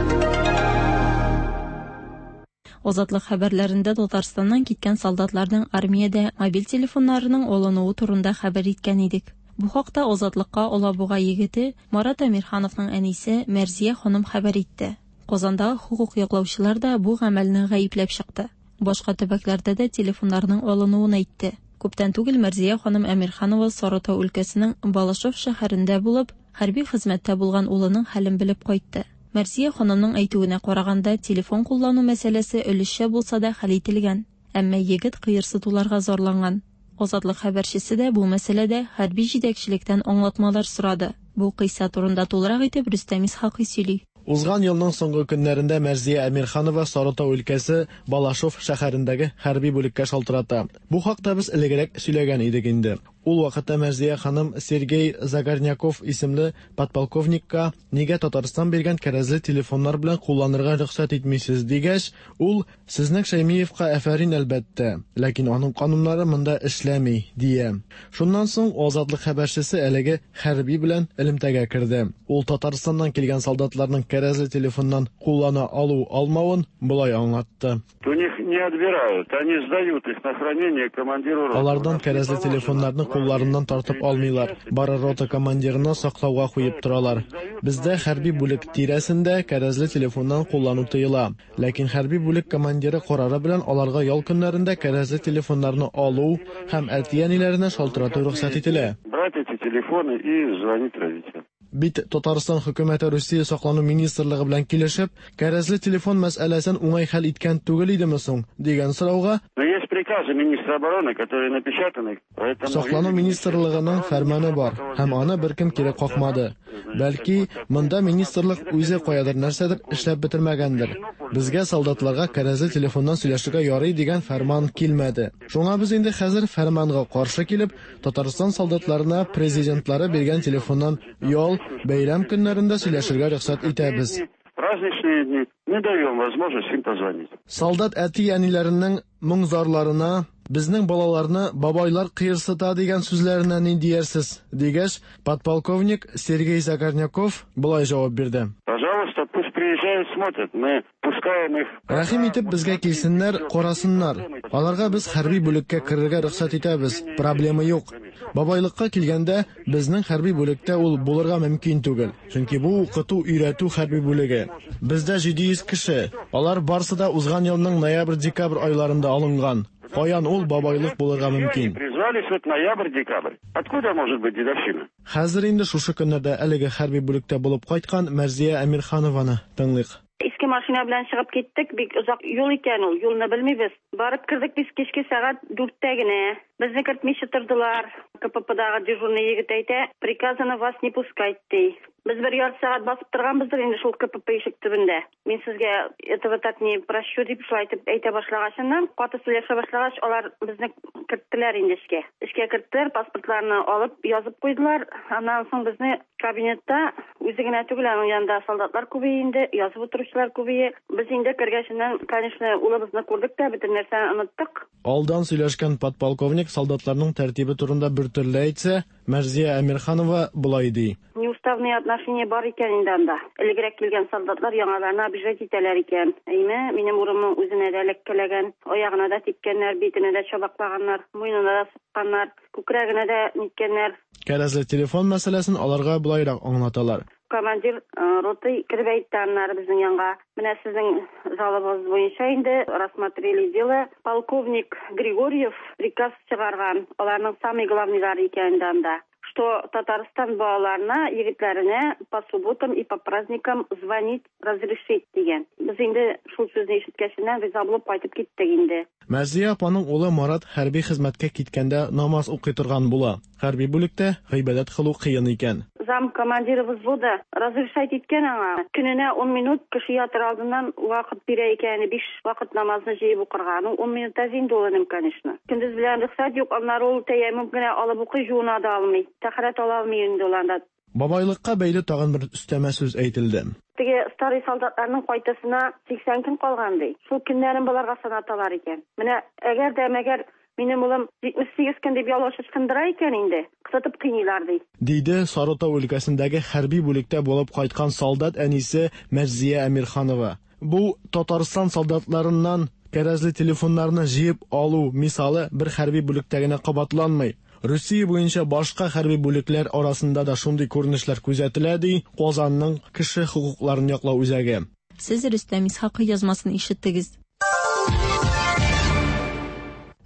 Азатлык хәбәрләрендә Татарстаннан киткән солдатларның армиядә мобиль телефоннарының алынуы турында хәбәр иткән идек. Бу хакта Азатлыкка Алабуга егете Марат Әмирхановның әнисе Мәрзия ханым хәбәр итте. Казандагы хукук яклаучылар да бу гамәлне гаепләп чыкты. Башка төбәкләрдә дә телефоннарның алынуын әйтте. Күптән түгел Мәрзия ханым Әмирханова Сарытау өлкәсенең Балашов шәһәрендә булып, хәрби хезмәттә булган улының хәлен белеп кайтты. Мәрзия ханымның әйтүенә караганда, телефон куллану мәсьәләсе өлешчә булса да хәл ителгән, әмма егет кыерсытуларга зарланган. Азатлык хәбәрчесе дә бу мәсьәләдә хәрби җитәкчелектән аңлатмалар сорады. Бу кыйса турында тулырак итеп Рөстәм Исхакый сөйли. Узган елның соңгы көннәрендә Мәрзия Әмирханова Сарытау өлкәсе Балашов шәһәрендәге хәрби бүлеккә шалтырата. Бу хакта без элегрәк сөйләгән идек инде. Ул вакытта Мәрзия ханым Сергей Загорняков исемле подполковникка нигә Татарстан биргән кәрәзле телефоннар белән кулланырга рөхсәт итмисез дигәч, ул сезнең Шәймиевка афәрин әлбәттә, ләкин аның кануннары монда эшләми дия. Шуннан соң Азатлык хәбәрчесе әлеге хәрби белән элемтәгә керде. Ул Татарстаннан килгән солдатларның кәрәзле телефоннан куллана алу-алмавын болай аңлатты. У них не отбирают, они сдают их на хранение командиру роты. Алардан кәрәзле телефоннарны кулларыннан тартып алмыйлар. Бары рота командирына саклауга куеп торалар. Бездә хәрби бүлек тирәсендә кәрәзле телефоннан куллану тыела. Ләкин хәрби бүлек командиры карары белән аларга ял көннәрендә кәрәзле телефоннарны алу һәм әти-әниләренә шалтырату рөхсәт ителә. Брать эти телефоны и звонить родителям. Бит Татарстан хөкүмәте Русия саклану министрлыгы белән килешеп, кәрәзле телефон мәсьәләсен уңай хәл иткән түгел идеме соң дигән сорауга Но есть приказы министра обороны, которые напечатаны, поэтому Саклану министрлыгының фәрманы бар һәм аны беркем кире какмады. Бәлки, монда министрлык үзе каядыр нәрсәдер эшләп бетермәгәндер. Безгә солдатларга кәрәзле телефоннан сөйләшергә ярый дигән фәрман килмәде. Шуңа без инде хәзер фәрманга каршы килеп, Татарстан солдатларына президентлары биргән телефоннан ял, бәйрәм көннәрендә сөйләшергә рөхсәт итәбез. Праздничные дни мы даем возможность им позвонить. Солдат әти-әниләренең моң-зарларына, безнең балаларны бабайлар кыерсыта дигән сүзләренә ни диярсез дигәч, подполковник Сергей Загорняков болай җавап бирде. Пожалуйста, пусть приезжают, смотрят. Мы пускаем их. Рәхим итеп безгә килсеннәр, карасыннар. Аларга без хәрби бүлеккә керергә рөхсәт итәбез. Проблема юк. Бабайлыкка килгәндә, безнең хәрби бүлектә ул булырга мөмкин түгел. Чөнки бу укыту, өйрәтү хәрби бүлеге. Бездә җиде йөз кеше. Алар барсы да узган елның ноябрь-декабрь айларында алынган. Каян ул бабайлык булырга мөмкин? Призвались вот ноябрь-декабрь. Откуда может быть дедовщина? Хәзер инде шушы көннәрдә әлеге хәрби бүлектә булып кайткан Мәрзия Әмирханованы тыңлыйк. Иске машина белән чыгып киттек, бик озак юл икән ул, юлны белмибез. Барып кердек без кичке сәгать дүрттә генә. Безне кертмичә тордылар. КППдагы дежурный егет әйтә, приказано вас не пускать, ди. Без бер ярты сәгать басып торганбыздыр инде шул КПП ишек төбендә. Мин сезгә этого так не прощу дип шулай итеп әйтә башлагачыннан, каты сөйләшә башлагач, алар безне керттеләр инде эшкә. Эшкә керттеләр, паспортларны алып язып куйдылар. Аннан соң безне кабинетта үзе генә түгел, аның янында солдатлар күбәйде инде, язып утыручылар күбәйде. Без инде кергәченнән, конечно, улыбызны күрдек тә, бөтен нәрсәне оныттык. Алдан сөйләшкән подполковник солдатларның тәртибе турында бер төрле әйтсә, Мәрзия Әмирханова болай ди. Неуставные отношения бар икән инде анда. Элегрәк килгән солдатлар яңаларны обижать итәләр икән. Әйме, минем урынның үзенә дә эләккәләгән, аягына да типкәннәр, битенә дә чабаклаганнар, муенына да сукканнар, күкрәгенә дә ниткәннәр. Кәрәзле телефон мәсьәләсен аларга болайрак аңлаталар. Командир роты кереп әйтте аннары безнең янга. Менә сезнең жалобагыз буенча инде рассмотрели дело. Полковник Григорьев приказ чыгарган. Аларның самый главныйлары икән инде анда. Что Татарстан балаларына, егетләренә по субботам и по праздникам звонить разрешить дигән. Без инде шул сүзне ишеткәченнән риза булып кайтып киттек инде. Мәрзия апаның улы Марат хәрби хезмәткә киткәндә намаз укый торган була. Хәрби бүлектә гыйбадәт кылу кыен икән. Зам командиры взвода разрешать иткән аңа. Көненә ун минут кеше ятыр алдыннан вакыт бирә икән, биш вакыт намазны җыеп укырга. Ну, ун минут әз инде ул, энем, конечно. Көндез белән рөхсәт юк, аннары ул тәяммум генә алып укый, жуына да алмый. Тәһарәт ала алмый инде ул анда. Бабайлыкка бәйле тагын бер өстәмә сүз әйтелде. Теге старый солдатларның кайтасына сиксән көн калган ди. Шул көннәрен боларга санаталар икән. Менә әгәр дә мәгәр минем улым җитмеш сигез көн дип ялгыш ычкындыра икән инде, кысытып кыйныйлар ди. Диде Сарытау өлкәсендәге хәрби бүлектә булып кайткан солдат әнисе Мәрзия Әмирханова. Бу Татарстан солдатларыннан кәрәзле телефоннарны җыеп алу мисалы бер хәрби бүлектә генә кабатланмый. Русия буенча башка хәрби бүлекләр арасында да шундый күренешләр күзәтелә, ди Казанның кеше хокукларын яклау үзәге. Сез Рөстәм Исхакый язмасын ишеттегез.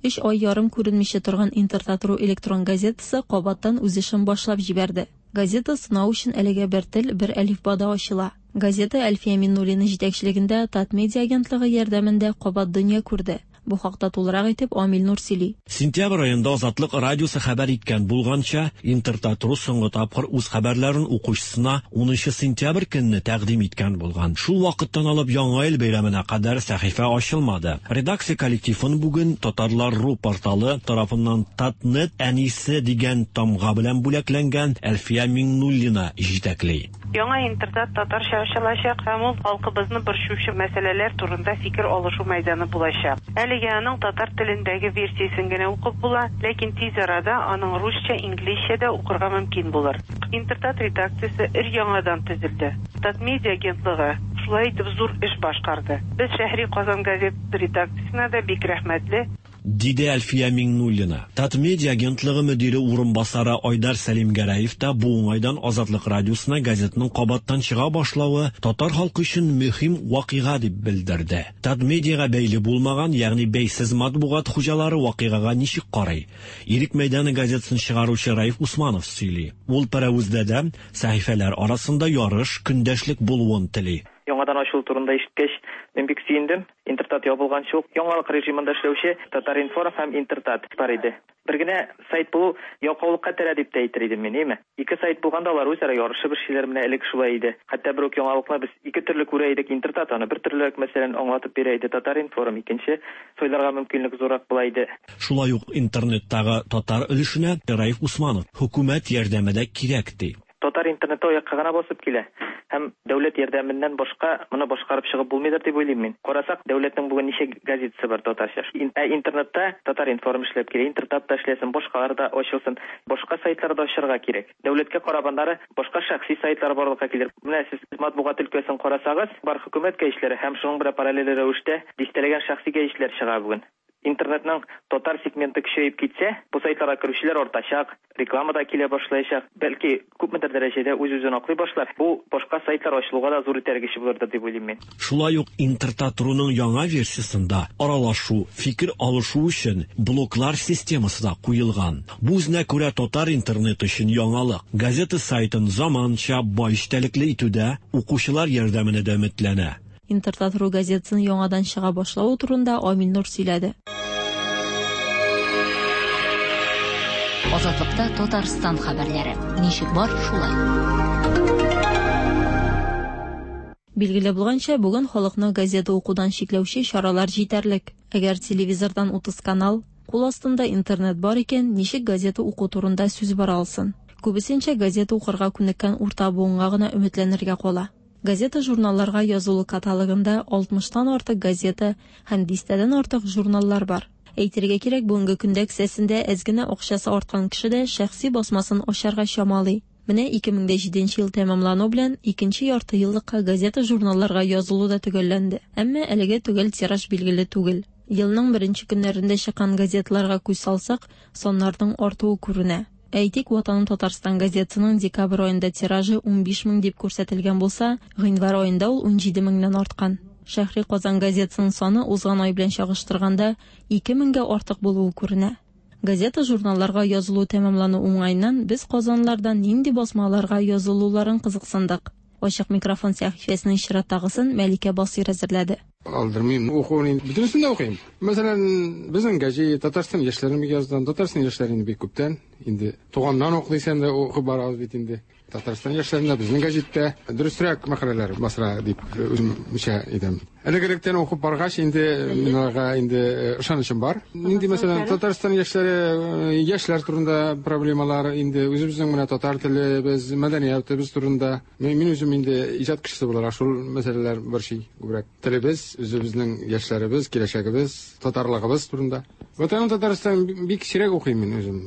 Өч ай ярым күренмичә торган Интертат.ру электрон газетасы кабаттан үз эшен башлап җибәрде. Газета сынау өчен әлегә бер тел, бер әлифбада ачыла. Газета Әлфия Миннуллина җитәкчелегендә Татмедиа агентлыгы ярдәмендә кабат дөнья күрде. Бу хакта тулырак итеп Амил Нур сөйли. Сентябрь аенда Азатлык радиосы хәбәр иткән булганча, Интертат.ру соңгы тапкыр үз хәбәрләрен укучысына унынчы сентябрь көнне тәкъдим иткән булган. Шул вакыттан алып Яңа ел бәйрәменә кадәр сәхифә ачылмады. Редакция коллективын бүген Татарлар.ру порталы тарафыннан Татнет әнисе дигән тамга белән бүләкләнгән Әлфия Миңнуллина җитәкли. Яңа Интертат татарча ачылачак һәм ул халкыбызны борчучы мәсьәләләр турында фикер алышу мәйданы булачак. Әлегә аның татар телендәге версиясен генә укып була, ләкин тиз арада аның русча, инглизчә дә укырга мөмкин булыр. Интертат редакциясе өр-яңадан төзелде. Татмедиа агентлыгы шулай итеп зур эш башкарды. Без Шәһри Казан газеты редакциясенә дә бик рәхмәтле. Диде Әлфия Миңнуллина. Татмедиа агентлыгы мөдире урынбасары Айдар Сәлимгәрәев та бу уңайдан Азатлык радиосына газетның кабаттан чыга башлавы татар халкы өчен мөһим вакыйга дип белдерде. Татмедиага бәйле булмаган, ягъни бәйсез матбугат хуҗалары вакыйгага ничек карый? Ирек мәйданы газетасын чыгаручы Раиф Усманов сөйли. Ул Пәрәвездә дә сәхифәләр арасында ярыш, көндәшлек булуын тели. Яңадан ачылу турында ишеткәч, мин бик сөендем. Интертат ябылганчы ук яңалык режимында эшләүче Татар-информ һәм Интертат бар иде. Бер генә сайт булу ялкаулыкка терә дип тә әйтер идем мин, әйме? Ике сайт булганда алар үзара ярышып эшлиләр, менә элек шулай иде. Хәтта бер үк яңалыкны без ике төрле күрә идек. Интертат аны бер төрле, мәсәлән, аңлатып бирә иде, Татар-информ икенче, сайларга мөмкинлек зуррак була иде. Шулай ук интернеттагы татар өлешенә Раиф Усманов хөкүмәт ярдәме дә кирәк ди. Татар интернеты аякка гына басып килә. Һәм дәүләт ярдәменнән башка моны башкарып чыгып булмыйдыр дип уйлыйм мин. Карасак, дәүләтнең бүген ничә газетасы бар татарча. Ә интернетта Татар-информ эшләп килә, Интертат та эшләсен, башкалар да ачылсын, башка сайтлар да ачырга кирәк. Дәүләткә карап аннары башка шәхси сайтлар барлыкка килер. Менә сез матбугат өлкәсен карасагыз, бар хөкүмәт гәҗитләре һәм шуның белән параллель рәвештә дистәләгән шәхси гәҗитләр чыга бүген. Интернетның татар сегменты көчәеп китсә, бу сайтларга керүчеләр артачак, реклама да килә башлаячак, бәлки күпмедер дәрәҗәдә үз-үзен аклый башлар. Бу башка сайтлар ачылуга да зур этәргеч булыр дип уйлыйм мин. Шулай ук Интертат.руның яңа версиясендә аралашу, фикер алышу өчен блоклар системасы да куелган. Бу үзенә күрә татар интернеты өчен яңалык. Газета сайтын заманча бай эчтәлекле итүдә укучылар ярдәменә дә өметләнә. Интертат.ру газетасын яңадан чыга башлавы турында Амил Нур сөйләде. Азатлыкта Татарстан хәбәрләре. Ничек бар, шулай. Билгеле булганча, бүген халыкны газета укудан чикләүче чаралар җитәрлек. Әгәр телевизордан утыз канал, кул астында интернет бар икән, ничек газета уку турында сүз бара алсын? Күбесенчә газета укырга күнеккән урта буынга гына өметләнергә кала. Газета-журналларга язулы каталогында алтмыштан артык газета һәм дистәдән артык журналлар бар. Әйтергә кирәк, бүгенге көндә кесәсендә әз генә акчасы арткан кеше дә шәхси басмасын ачарга чамалый. Менә ике мең дә җиденче ел тәмамлану белән икенче ярты еллыкка газета-журналларга язылу да төгәлләнде. Әмма әлегә төгәл тираж билгеле түгел. Елның беренче көннәрендә чыккан газеталарга күз салсак, саннарның артуы күренә. Әйтик, Ватаным Татарстан газетасының декабрь аенда тиражы унбиш мең дип күрсәтелгән булса, гыйнвар аенда ул унҗиде меңнән арткан. Шәһри Казан газетасының саны узган ай белән чагыштырганда ике меңгә артык булуы күренә. Газета-журналларга язылу тәмамлану уңаеннан без казанлардан нинди басмаларга язылуларын кызыксындык. Ачык микрофон сәхифәсенең чираттагысын Мәликә Басыйр әзерләде. Алдырмыйм, укуын бөтенесен дә укыйм. Мәсәлән, безнең гәҗит Татарстан яшьләрен бик яздан, Татарстан яшьләрен бик күптән, инде туганнан ук дисәм дә укып барабыз бит инде. Татарстан яшьләрендә безнең гәҗиттә дөресрәк мәкаләләр басыра дип үземчә әйтәм. Элек-электән укып баргач, инде мин аларга инде ышанычым бар. Инде мәсәлән, Татарстан яшьләре, яшьләр турында проблемалар, инде үзебезнең менә татар телебез, мәдәниятебез турында. Мин үзем инде иҗат кешесе буларак шул мәсьәләләр борчый күбрәк. Телебез, үзебезнең яшьләребез, киләчәгебез, татарлыгыбыз турында. Ватаным Татарстан бик сирәк укыйм мин үзем.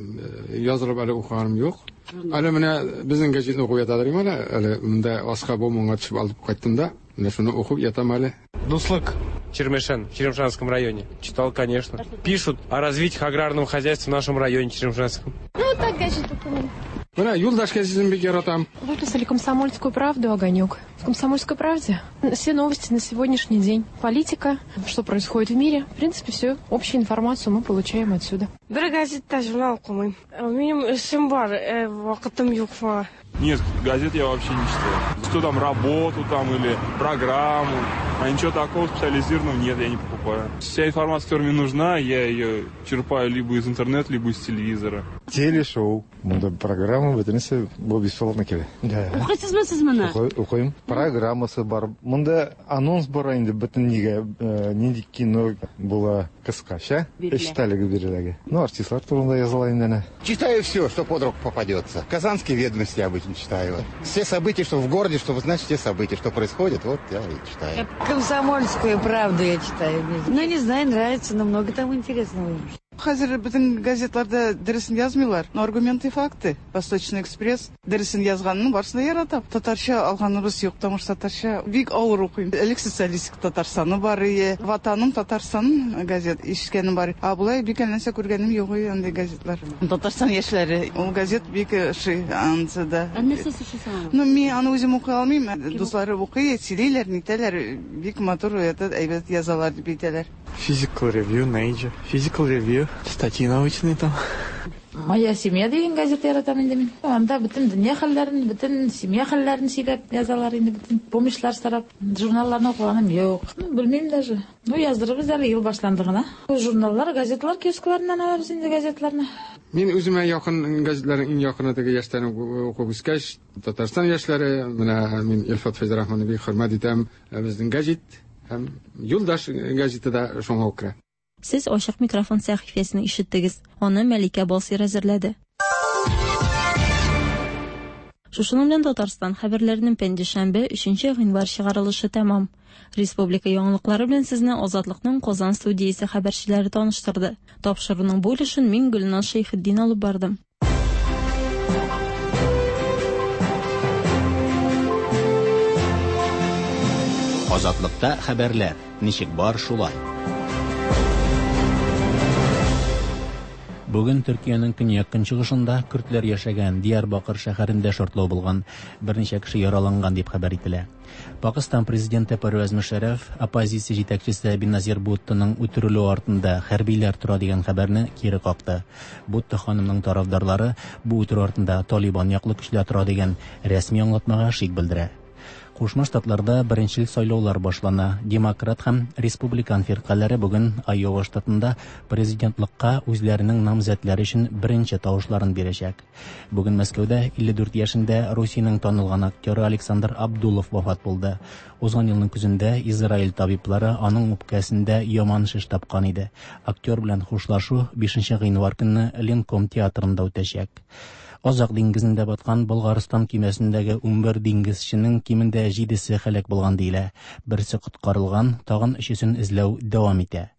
Язылып әле укыганым юк. Әле менә безнең гәҗитне укып ятадыр идем әле, әле монда аска бу моңа төшеп алып кайттым да, менә шуны укып ятам әле. Дуслык, Чермешен, в Черемшанском районе. Читал, конечно. Пишут о развитии аграрного хозяйства в нашем районе Черемшанском. Ну, так гәҗит укымыйм. Менә Юлдаш гәзитен бик яратам. Выписали «Комсомольскую правду», «Огонек». В «Комсомольской правде» все новости на сегодняшний день. Политика, что происходит в мире. В принципе, всю общую информацию мы получаем отсюда. Бер газетта журнал укымыйм. Минем эшем бар, вакытым юк шуңа. Нет, газет я вообще не читаю. Что там, работу там или программу, а ничего такого специализированного нет, я не покупаю. Вся информация, которая мне нужна, я ее черпаю либо из интернета, либо из телевизора. Телешоу. Монда программа бөтенесе бу бесплатно килә. Укыйсызмы сез моны? Укыйм. Программасы бар. Монда анонс бар инде бөтен нигә, нинди кино була кыскача, эчтәлеге биреләге. Ну, артистлар турында языла инде әнә. Читаю все, что под руку попадется. Казанские ведомости обычно читаю. Все события, что в городе, чтобы знать все события, что происходит, вот я и читаю. Комсомольскую правду я читаю. Ну, не знаю, нравится, но много там интересного. Хәзер бөтен газетларда дөресен язмыйлар. Но аргументы и факты. Восточный экспресс дөресен язганын барысын да яратам. Татарча алганыбыз юк, потому что татарча бик авыр укыйм. Элек социалистик Татарстаны бар ие, Ватаным Татарстан газет ишеткәнем бар. А болай бик нәрсә күргәнем юк андый газетлар. Татарстан яшьләре. Ул газет бик ошый анысы да. Ә нәрсәсе ошый сиңа? Ну, мин аны үзем укый алмыйм. Дуслары укый, сөйлиләр, нитәләр, бик матур, это әйбәт язалар дип әйтәләр. Physical Review, Nature. Physical Review, статьи научные там. Моя семья дигән газета яратам инде мин. Анда бөтен дөнья хәлләрен, бөтен семья хәлләрен сөйләп язалар инде, бөтен помощьлар сорап. Журналларны укыганым юк. Ну, белмим даже. Ну, яздырыбыз әле ел башланды гына. Журналлар, газетлар киоскларыннан алабыз инде газетларны. Мин үземә якын газетларның иң якыны теге яшьтән укып үскәч, Татарстан яшьләре, менә мин Илфат Фәйзрахманны бик хөрмәт итәм, безнең гәҗит һәм Юлдаш гәҗите дә шуңа ук керә. Сез Ачык микрофон сәхифәсен ишеттегез. Аны Мәликә Басыйр әзерләде. Шушының белән Татарстан хәбәрләренең пәнҗешәмбе өченче гыйнвар чыгарылышы тәмам. Республика яңалыклары белән сезне Азатлыкның Казан студиясе хәбәрчеләре таныштырды. Тапшыруның бу өлешен мин Гөлназ Шәйхетдин алып бардым. Азатлыкта хәбәрләр ничек бар шулай. Бүген Төркиянең көньяк-көнчыгышында көрдләр яшәгән Диярбакыр шәһәрендә шартлау булган, берничә кеше яраланган дип хәбәр ителә. Пакистан президенты Парвез Мушарраф оппозиция җитәкчесе Беназир Буттоның үтерелүе артында хәрбиләр тора дигән хәбәрне кире какты. Бутто ханымның тарафдарлары бу үтерү артында Талибан яклы көчләр тора дигән рәсми аңлатмага шик белдерә. Кушма Штатларда беренчел сайлаулар башлана. Демократ һәм республикан фиркаләре бүген Айова штатында президентлыкка үзләренең намзәтләре өчен беренче тавышларын бирәчәк. Бүген Мәскәүдә илле дүрт яшендә Русиянең танылган актеры Александр Абдулов вафат булды. Узган елның көзендә Израиль табиблары аның үпкәсендә яман шеш тапкан иде. Актер белән хушлашу бишенче гыйнвар көнне Ленком театрында үтәчәк. Азак диңгезендә баткан Болгарстан кимәсендәге унбер диңгезченең кимендә җидесе һәлак булган диелә. Берсе коткарылган, тагын өчесен эзләү дәвам итә.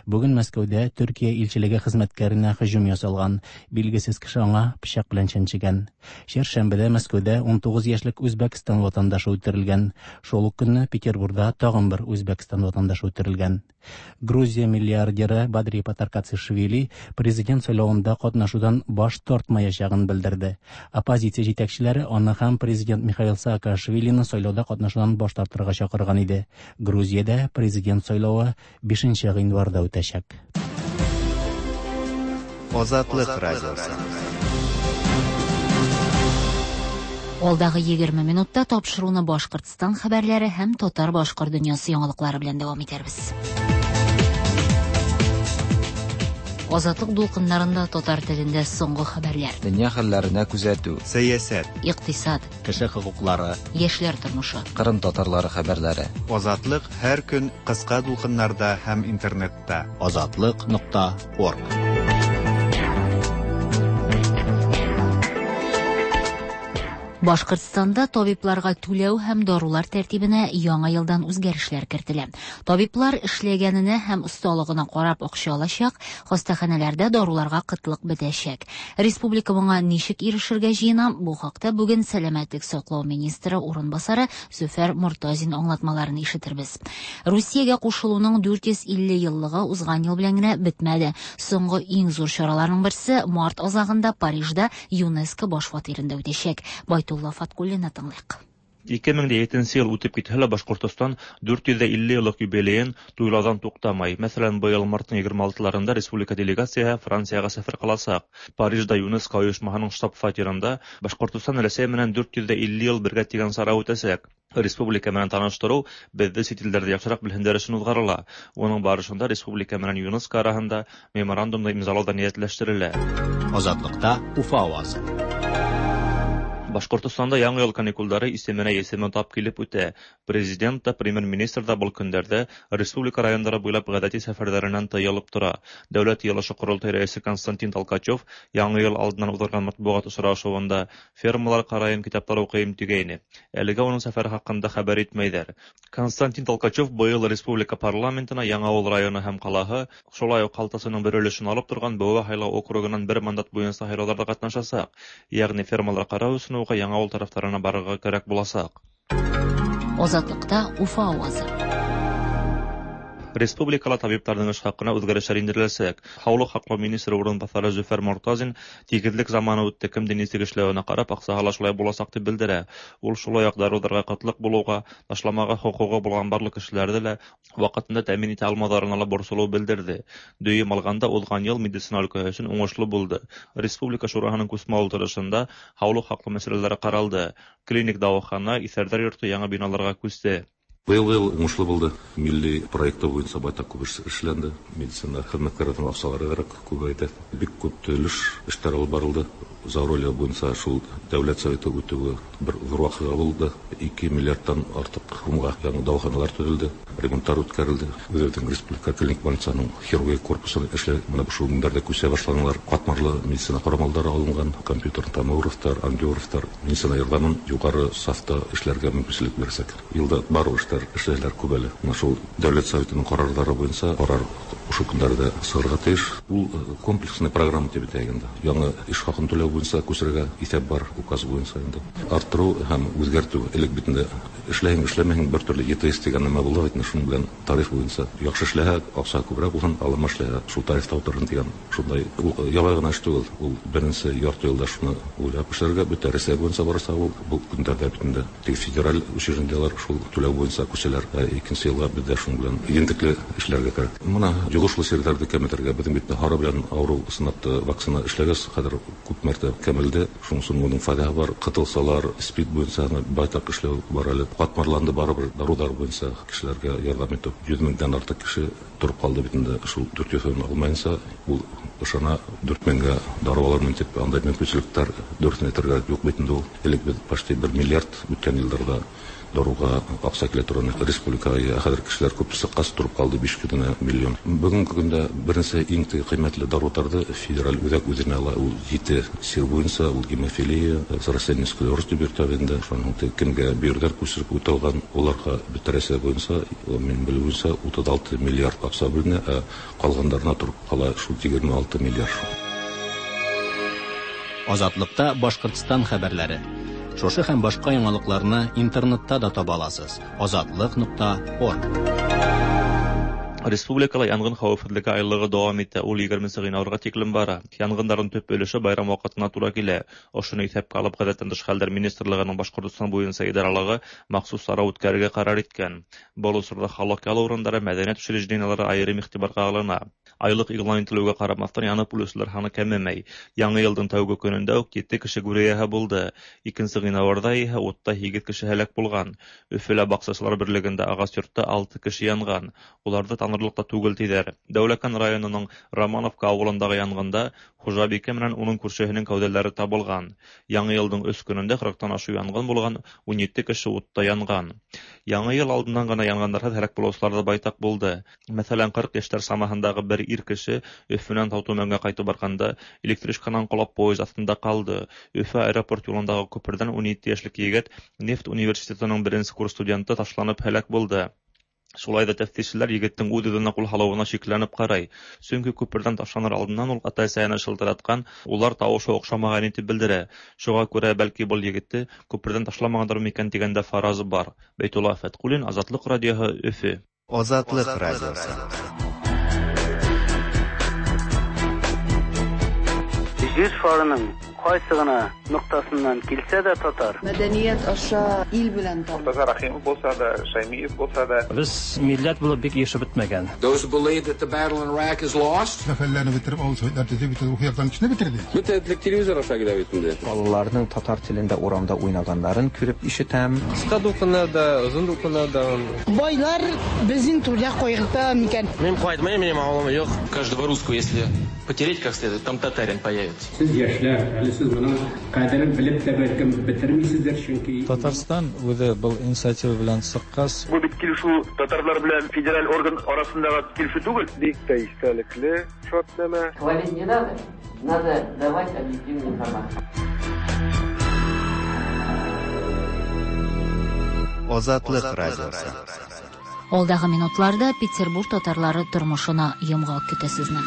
Бүген Мәскәүдә Төркия илчелеге хезмәткәренә һөҗүм ясалган. Билгесез кеше аңа пычак белән чәнчегән. Чәршәмбедә Мәскәүдә унтугыз яшьлек Үзбәкстан ватандашы үтерелгән. Шул ук көнне Петербургда тагын бер Үзбәкстан ватандашы үтерелгән. Грузия миллиардеры Бадри Патаркацишвили президент сайлавында катнашудан баш тартмаячагын белдерде. Оппозиция җитәкчеләре аны һәм президент Михаил Саакашвилины сайлауда катнашудан баш тартырга чакырган иде. Грузиядә президент сайлавы бишенче гыйнварда үтәчәк. Азатлык радиосы. Алдагы егерме минутта тапшыруны Башкортстан хәбәрләре һәм татар-башкорт дөньясы яңалыклары белән дәвам итәрбез. Азатлык дулкыннарында татар телендә соңгы хәбәрләр. Дөнья хәлләренә күзәтү, сәясәт, икътисад, кеше хокуклары, яшьләр тормышы, Кырым татарлары хәбәрләре. Азатлык һәр көн кыска дулкыннарда һәм интернетта. Азатлык нокта орг. Башкортстанда табибларга түләү һәм дарулар тәртибенә яңа елдан үзгәрешләр кертелә. Табиблар эшләгәненә һәм осталыгына карап акча алачак, хастаханәләрдә даруларга кытлык бетәчәк. Республика моңа ничек ирешергә җыена? Бу хакта бүген сәламәтлек саклау министры урынбасары Зөфәр Мортазин аңлатмаларын ишетербез. Русиягә кушылуның дүрт йөз илле еллыгы узган ел белән генә бетмәде. Соңгы иң зур чараларның берсе март азагында Парижда ЮНЕСКО баш фатирында үтәчәк. Байтулла Фаткуллина тыңлыйк. ике мең дә етенсе йыл үтеп китһә лә Башкортостан дүрт йөҙ илле йыллыҡ юбилейын туйлауҙан туҡтамай. Мәҫәлән, быйыл марттың егерме алтыларында республика делегацияһы Францияға сәфәр ҡыласаҡ. Парижда ЮНЕСКО ойошмаһының штаб-фатирында Башкортостан Рәсәй менән дүрт йөҙ илле йыл бергә тигән сара үтәсәк. Республика менән таныштырыу беҙҙе сит илдәрҙә яҡшыраҡ белһендәр өсөн уҙғарыла. Уның барышында республика менән ЮНЕСКО араһында меморандумды имзалау да ниәтләштерелә. Азатлыҡта Уфа авазы. Башҡортостанда яңы йыл каникулдары исеменә есемен тап килеп үтә. Президент та, премьер-министр да был көндәрҙә республика райондары буйлап ғәҙәти сәфәрҙәренән тыйылып тора. Дәүләт йыйылышы ҡоролтай рәйесе Константин Толкачев яңы йыл алдынан уҙғарған матбуғат осрашыуында фермалар ҡарайым, китаптар уҡыйым тигәйне. Әлегә уның сәфәре хаҡында хәбәр итмәйҙәр. Константин Толкачев быйыл республика парламентына Яңауыл районы һәм ҡалаһы, шулай уҡ ҡалтасының бер өлөшөн алып торған Быуа һайлау округынан бер мандат буйынса һайлауҙарҙа ҡатнашасаҡ. Йәғни фермалар ҡарау өсөн уға Яңауыл тарафтарына барырға кәрәк буласаҡ. Азатлыҡта Уфа авазы. Республикала табиптарҙың эш хаҡына үҙгәрештәр индереләсәк. Һаулыҡ һаҡлау министры урынбаҫары Зөфәр Мортазин тигеҙлек заманы үтте, кемдең нисек эшләүенә ҡарап аҡсаһы ла шулай буласаҡ тип белдерә. Ул шулай уҡ дарыуҙарға ҡытлыҡ булыуға, ташламаға хоҡуғы булған барлыҡ кешеләрҙе лә ваҡытында тәьмин итә алмауҙарына ла борсолоу белдерҙе. Дөйөм алғанда уҙған йыл медицина өлкәһе өсөн уңышлы булды. Республика шураһының күсмә ултырышында һаулыҡ һаҡлау мәсьәләләре ҡаралды. Клиник дауахана, иҫәрҙәр йорто яңы биналарға күсте. Быйыл йыл уңышлы булды. Милли проекты буйынса байтак күп эш эшләнде. Медицина хеҙмәткәрҙәренең аҡсалары кәрәк күбәйҙе. Бик күп төҙөлөш эштәре алып барылды. Зауролье буйынса шул дәүләт советы үтеүе бер ҙур ваҡиға булды. Ике миллиардтан артыҡ һумға яңы дауаханалар төҙөлдө, ремонттар үткәрелде. Үҙебеҙҙең республика клиник больницаның хирургия корпусы эшләй. Бына шул көндәрҙә күсә башланылар. Ҡатмарлы медицина ҡорамалдары алынған, компьютер томографтар, ангиографтар, медицина ярҙамын юғары сафта эшләргә мөмкинселек бирәсәк. Йылда бар эштәр эшләүҙәр күп әле. Бына шул дәүләт советының ҡарарҙары буйынса ҡарар ошо көндәрҙә сығырға тейеш. Ул комплексный программа тип әйтәйек инде. Яңы эш хаҡын түләү буйынса күсерергә иҫәп бар, указ буйынса инде. Арттырыу һәм үҙгәртеү. Элек бит инде эшләһәң, эшләмәһәң бер төрлө Е Т С тигән нәмә булды бит инде, шуның белән тариф буйынса яҡшы эшләһә, аҡса күберәк булһын, алама эшләһә, шул тарифта ултырһын тигән шундай. Ул ябай ғына эш түгел. Ул беренсе ярты йылда шуны уйлап эшләргә, бөтә Рәсәй буйынса барса, ул был көндәрҙә бит инде тик федераль учреждениелар шул түләү буйынса күсәләр. Ә икенсе йылға беҙҙә шуның белән ентекле эшләргә кәрәк. Мына йоғошлы сирҙәрҙе кәметергә, беҙҙең бит һары белән ауырыу ысынлап та вакцина эшләгәс, хәҙер күп мәртәбә дә кәмелде. Шуның моның файдасы бар. Кытылсалар, спид буенча байтак эшләү бар әле. Катмарланды барыбер дарулар буенча кешеләргә ярдәм итеп йөз меңдән артык кеше торып калды бит инде. Шул дүрт йөз алмаенча ул ышана дүрт меңгә дару алырмын дип, андай мөмкинчелекләр дөресен әйтергә юк бит инде ул. Элек без почти бер миллиард үткән елларда даруга акча килә торган республикага хәзер кешеләр күп сыккас торып калды биш генә миллион. Бүгенге көндә беренче иң кыйммәтле даруларны федераль үзәк үзенә ала. Ул җите сир буенча, ул гемофилия, рассеянный склероз дип йөртә инде. Шуның кемгә бөерләр күчереп үтелгән, уларга бөтен буенча, мин белүемчә, утыз алты миллиард акча бүленә, ә калганнарына торып кала шул егерме алты миллиард. Азатлыкта Башкортстан хәбәрләре. Шушы һәм башка яңалыкларны интернетта да таба аласыз. Азатлык нокта орг. Республикала янгын хәвефсезлеге айлыгы дәвам итә. Ул егерменче гыйнварга тиклем бара. Янгыннарның төп өлеше байрам вакытына тура килә. Ошоны иҫәпкә алып, Гадәттән тыш хәлләр министрлыгының Башкортстан буенча идаралыгы махсус чара үткәрергә карар иткән. Был осорҙа халыҡ ял урындары, мәҙәниәт учреждениелары айырым иғтибарға алына. Айлыҡ иғлан ителеүгә ҡарамаҫтан янып үлеүселәр һаны кәмемәй. Яңы йылдың тәүге көнөндә үк ете кеше гүр эйәһе булды. Икенсе ғинуарҙа иһә утта һигеҙ кеше һәләк булған. Өфөлә баҡсасылар берлегендә ағас йортта алты кеше янған. Уларҙы танырлыҡ та түгел тиҙәр. Дәүләкән районының Романовка ауылындағы янғында хужабикә менән уның күршеһенең кәүҙәләре табылған. Яңы йылдың өс көнөндә ҡырыҡтан ашыу янғын булған, ун ете кеше утта янған. Яңы йыл алдынан ғына янғындарһыҙ һәләк булыусылар ҙа байтаҡ булды. Мәҫәлән, ҡырҡ йәштәр самаһындағы бер ир кеше Өфөнән Таутүмәнгә ҡайтып барғанда электричканан ҡолап поезд аҫтында ҡалды. Өфө аэропорт юлындағы күперҙән ун ете йәшлек егет нефть университетының беренсе курс студенты ташланып һәләк булды. Шулай ҙа тәфтишселәр егеттең үҙ-үҙенә ҡул һалыуына шикләнеп ҡарай. Сөнки күперҙән ташланыр алдынан ул ата-әсәһенә шылтыратҡан, улар тауышы оҡшамаған итеп белдерә. Шуға күрә бәлки был егетте күперҙән ташламағандар микән тигән дә фараз бар. Бәйтулла Фәтҡуллин, Азатлыҡ радиоһы, Өфө. Азатлыҡ радиоһы. Җир шарының кайсы гына ноктасыннан килсә дә татар. Мәдәният аша ил белән танып. Мортаза Рахимов булса да, Шаймиев булса да. Без милләт булып бик яшәп бетмәгән. Those who believe that the battle in Iraq is lost. Сәфәрләрне бетереп, авыл советлар төзеп, бөтен рухи яктан кешене бетерде. Бөтен телевизор аша килә бит инде. Балаларның татар телендә урамда уйнаганнарын күреп ишетәм. Кыска дулкыннарда, озын дулкыннарда. Байлар безнең түрдә кайгырта микән? Мин кайтмыйм, минем авылым юк. Каждого русского, если потереть как следует, там татарин появится. Сез яшьләр, әле сез моның кадерен белеп тә бәлкем бетермисездер, чөнки Татарстан үзе был инициатива белән чыккач, бу бит килешү татарлар белән федераль орган арасындагы килешү түгел. Бик тә истәлекле шартнамә. Хвалить не надо, надо давать объективную информацию. Азатлык радиосы. Алдагы минутларда Петербург татарлары тормышына йомгак көтә сезне.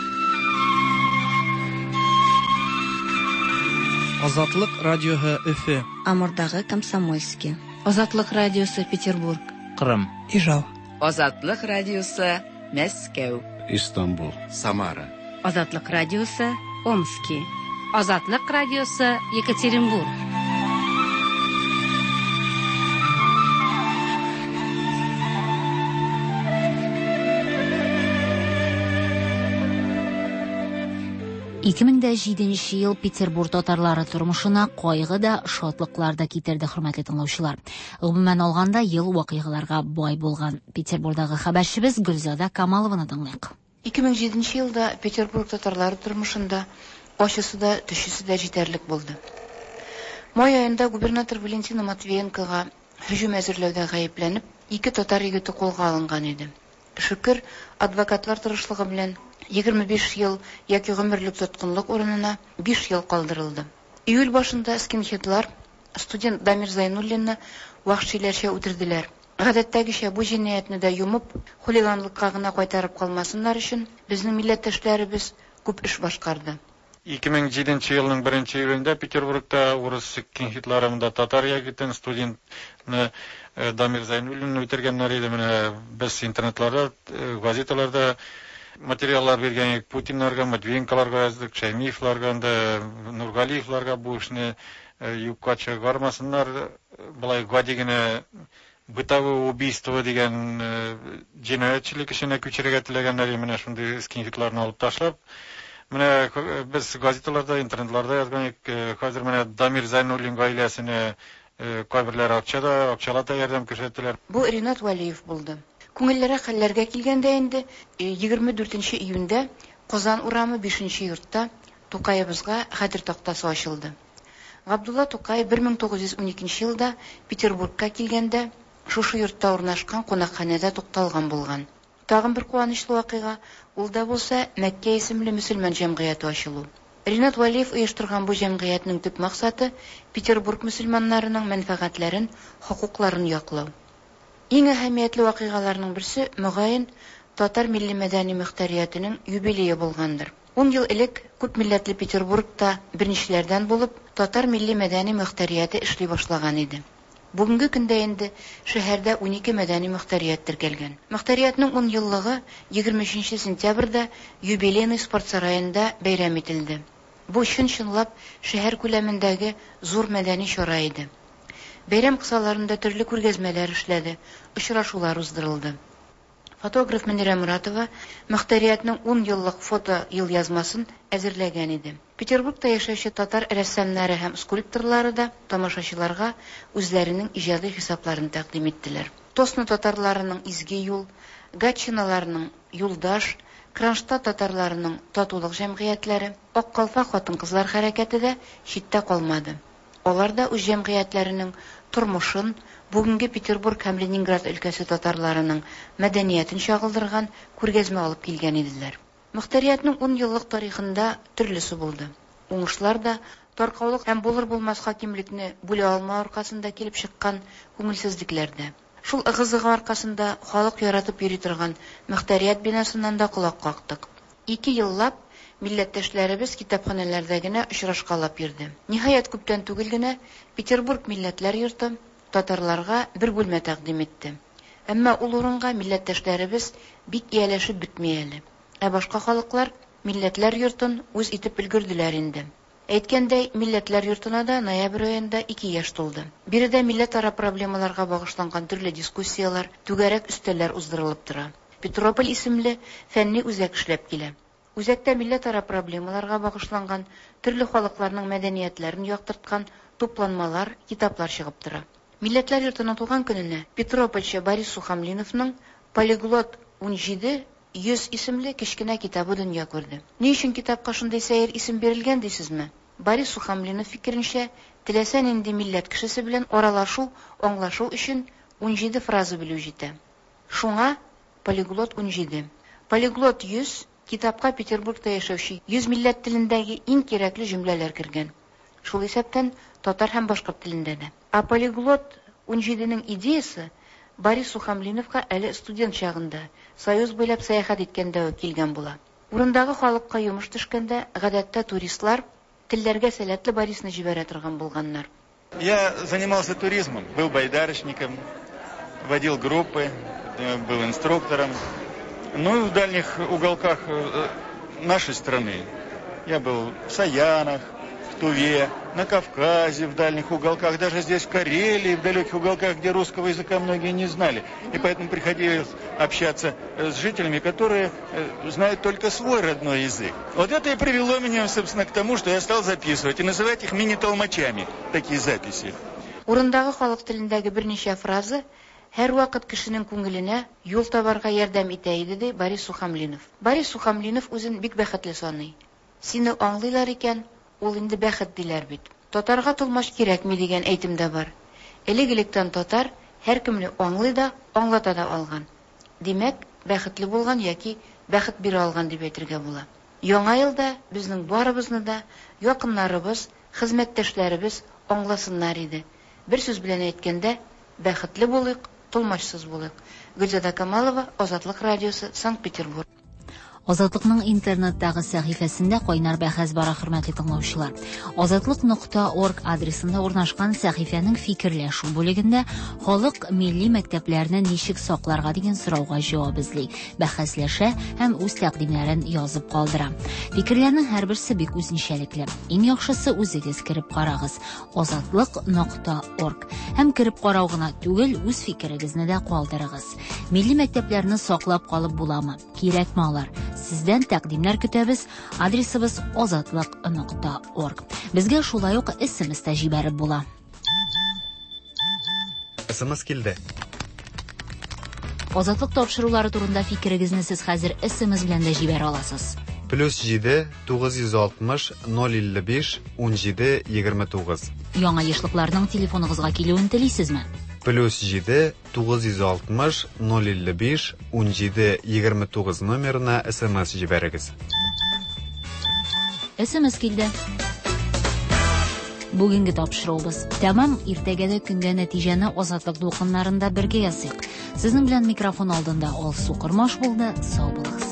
Азатлык радиоһы Өфө. Амурдагы Комсомольский. Азатлык радиосы Петербург. Кырым. Ижау. Азатлык радиосы Мәскәү. Истанбул. Самара. Азатлык радиосы Омский. Азатлык радиосы Екатеринбург. ике мең дә җиденче ел Петербург татарлары тормышына кайгы да, шатлыклар да китерде, хөрмәтле тыңлаучылар. Гомумән алганда, ел вакыйгаларга бай булган. Петербургдагы хәбәрчебез Гөлзада Камалованы тыңлыйк. ике мең җиденче елда Петербург татарлары тормышында ачысы да, төчесе дә җитәрлек булды. Май аенда губернатор Валентина Матвиенкога һөҗүм әзерләүдә гаепләнеп, ике татар егете кулга алынган иде. Шөкер, адвокатлар тырышлыгы белән егерме биш ел яки гомерлек тоткынлык урынына биш ел калдырылды. Июль башында скинхедлар студент Дамир Зайнуллинны вәхшиләрчә үтерделәр. Гадәттәгечә бу җинаятьне дә йомып, хулиганлыкка гына кайтарып калмасыннар өчен безнең милләттәшләребез күп эш башкарды. ике мең җиденче елның беренче июлендә Петербургта урыс скинхедлары монда татар егетен студентны Дамир Зайнуллинны үтергәннәр иде. Менә без интернетларда, газеталарда материаллар биргән идек. Путиннарга, Матвиенколарга яздык, Шаймиевларга, анда Нургалиевларга бу эшне юкка чыгармасыннар. Болай гади генә бытовое убийство дигән җинаятьчелек эшенә күчерергә теләгәннәр. Менә шундый скинхедларны алып ташлап, Менә без газеталарда, интернетларда язган идек, хәзер менә Дамир Зайнуллин гаиләсенә кайберләре акча да, акчалата ярдәм күрсәттеләр. Бу Ринат Вәлиев булды. Күңелләргә хәлләргә килгәндә инде егерме дүртенче июньдә Казан урамы бишенче йортта Тукаебызга хәтер тактасы ачылды. Габдулла Тукай бер мең тугыз йөз уникенче елда Петербургка килгәндә шушы йортта урнашкан кунакханәдә тукталган булган. Тагын бер куанычлы вакыйга, ул да булса Мәккә исемле мөселман җәмгыяте ачылу. Ринат Вәлиев оештырган бу җәмгыятьнең төп максаты Петербург мөселманнарының мәнфәгатьләрен, хокукларын яклау. Иң әһәмиятле вакыйгаларның берсе, мөгаен, татар милли мәдәни мөхтәриятенең юбилее булгандыр. Ун ел элек күп милләтле Петербургта беренчеләрдән булып татар милли мәдәни мөхтәрияте эшли башлаган иде. Бүгенге көндә инде шәһәрдә унике мәдәни мөхтәрият теркәлгән. Мөхтәриятнең ун еллыгы егерме өченче сентябрьдә юбилейный спорт сараенда бәйрәм ителде. Бу чын-чынлап шәһәр күләмендәге зур мәдәни чара иде. Бәйрәм кысаларында төрле күргәзмәләр эшләде, очрашулар уздырылды. Фотограф Мөнирә Муратова мөхтәриятнең ун еллык фото елъязмасын әзерләгән иде. Петербургта яшәүче татар рәссамнары һәм скульпторлары да тамашачыларга үзләренең иҗади хисапларын тәкъдим иттеләр. Тосно татарларының изге юл, Гатчиналарның юлдаш, Кронштадт татарларының татулык җәмгыятьләре, Ак калфак хатын-кызлар хәрәкәте дә читтә калмады. Алар да үз җәмгыятьләренең тормышын, бүгенге Петербург һәм Ленинград өлкәсе татарларының мәдәниятен чагылдырган күргәзмә алып килгән иделәр. Мөхтәриятнең ун еллык тарихында төрлесе булды. Уңышлар да, таркаулык һәм булыр-булмас хакимлекне бүлә алмау аркасында килеп чыккан күңелсезлекләр дә. Шул ыгы-зыгы аркасында халык яратып йөри торган мөхтәрият бинасыннан да колак кактык. Ике еллап милләттәшләребез китапханәләрдә генә очрашкалап йөрде. Ниһаять, күптән түгел генә Петербург милләтләр йорты татарларга бер бүлмә тәкъдим итте. Әмма ул урынга милләттәшләребез бик ияләшеп бетми әле. Ә башка халыклар милләтләр йортын үз итеп өлгерделәр инде. Әйткәндәй, милләтләр йортына да ноябрь аенда ике яшь тулды. Биредә милләтара проблемаларга багышланган төрле дискуссияләр, түгәрәк өстәлләр уздырылып тора. Петрополь исемле фәнни үзәк эшләп килә. Үзәктә милләтара проблемаларга багышланган төрле халыкларның мәдәниятләрен яктырткан тупланмалар, китаплар чыгып тора. Милләтләр йортының туган көненә Петропольче Борис Сухомлиновның Полиглот ун җиде йөз исемле кечкенә китабы дөнья күрде. Ни өчен китапка шундый сәер исем бирелгән дисезме? Борис Сухомлинов фикеренчә, теләсә нинди милләт кешесе белән аралашу, аңлашу өчен ун җиде фраза белү җитә. Шуңа Полиглот ун җиде. Полиглот йөз китапка Петербургта яшәүче йөз милләт телендәге иң кирәкле җөмләләр кергән. Шул исәптән татар һәм башкорт телендә дә. Ә Полиглот ун җиденең идеясы Борис Сухомлиновка әле студент чагында Союз буйлап сәяхәт иткәндә үк килгән була. Урындагы халыкка йомыш төшкәндә, гадәттә туристлар телләргә сәләтле Борисны җибәрә торган булганнар. Я занимался туризмом, был байдарочником, водил группы, был инструктором. Ну, в дальних уголках нашей страны я был в Саянах, в Туве, на Кавказе, в дальних уголках, даже здесь в Карелии, в далеких уголках, где русского языка многие не знали. И поэтому приходилось общаться с жителями, которые знают только свой родной язык. Вот это и привело меня, собственно, к тому, что я стал записывать и называть их мини-толмачами, такие записи. Урындагы халык телендәге берничә фраза һәр вакыт кешенең күңеленә юл табарга ярдәм итә иде, ди Борис Сухомлинов. Борис Сухомлинов үзен бик бәхетле саный. Сине аңлыйлар икән, ул инде бәхет диләр бит. Татарга толмач кирәкми дигән әйтем дә бар. Элек-электән татар һәркемне аңлый да, аңлата да алган. Димәк, бәхетле булган яки бәхет бирә алган дип әйтергә була. Яңа елда безнең барыбызны да якыннарыбыз, хезмәттәшләребез аңласыннар иде. Бер сүз белән әйткәндә, бәхетле булыйк, толмачсыз булыйк. Гөлзада Камалова, Азатлык радиосы, Санкт-Петербург. Азатлыкның интернеттагы сәхифәсендә кайнар бәхәс бара, хөрмәтле тыңлаучылар. Азатлык нокта орг адресында урнашкан сәхифәнең фикерләшү бүлегендә халык милли мәктәпләрне ничек сакларга дигән сорауга җавап эзли, бәхәсләшә һәм үз тәкъдимнәрен язып калдыра. Фикерләрнең һәрберсе бик үзенчәлекле. Иң яхшысы үзегез кереп карагыз. Азатлык нокта орг. Һәм кереп карау гына түгел, үз фикерегезне дә калдырыгыз. Милли мәктәпләрне саклап калып буламы? Кирәкме алар? Сездән тәкъдимнәр көтәбез. Адресыбыз азатлык нокта орг. Безгә шулай ук С М С та җибәреп була. С М С килде. Азатлык тапшырулары турында фикерегезне сез хәзер С М С белән дә җибәрә аласыз. Плюс җиде тугыз йөз алтмыш ноль илле биш унҗиде егерме тугыз. Яңа ешлыкларның телефоныгызга килүен телисезме? Плюс җиде тугыз йөз алтмыш ноль илле биш унҗиде егерме тугыз номерына С М С җибәрегез. С М С килде. Бүгенге тапшыруыбыз тәмам. Иртәгә дә көнгә нәтиҗәне Азатлык дулкыннарында бергә ясыйк. Сезнең белән микрофон алдында Алсу Кормаш булды. Сау булыгыз.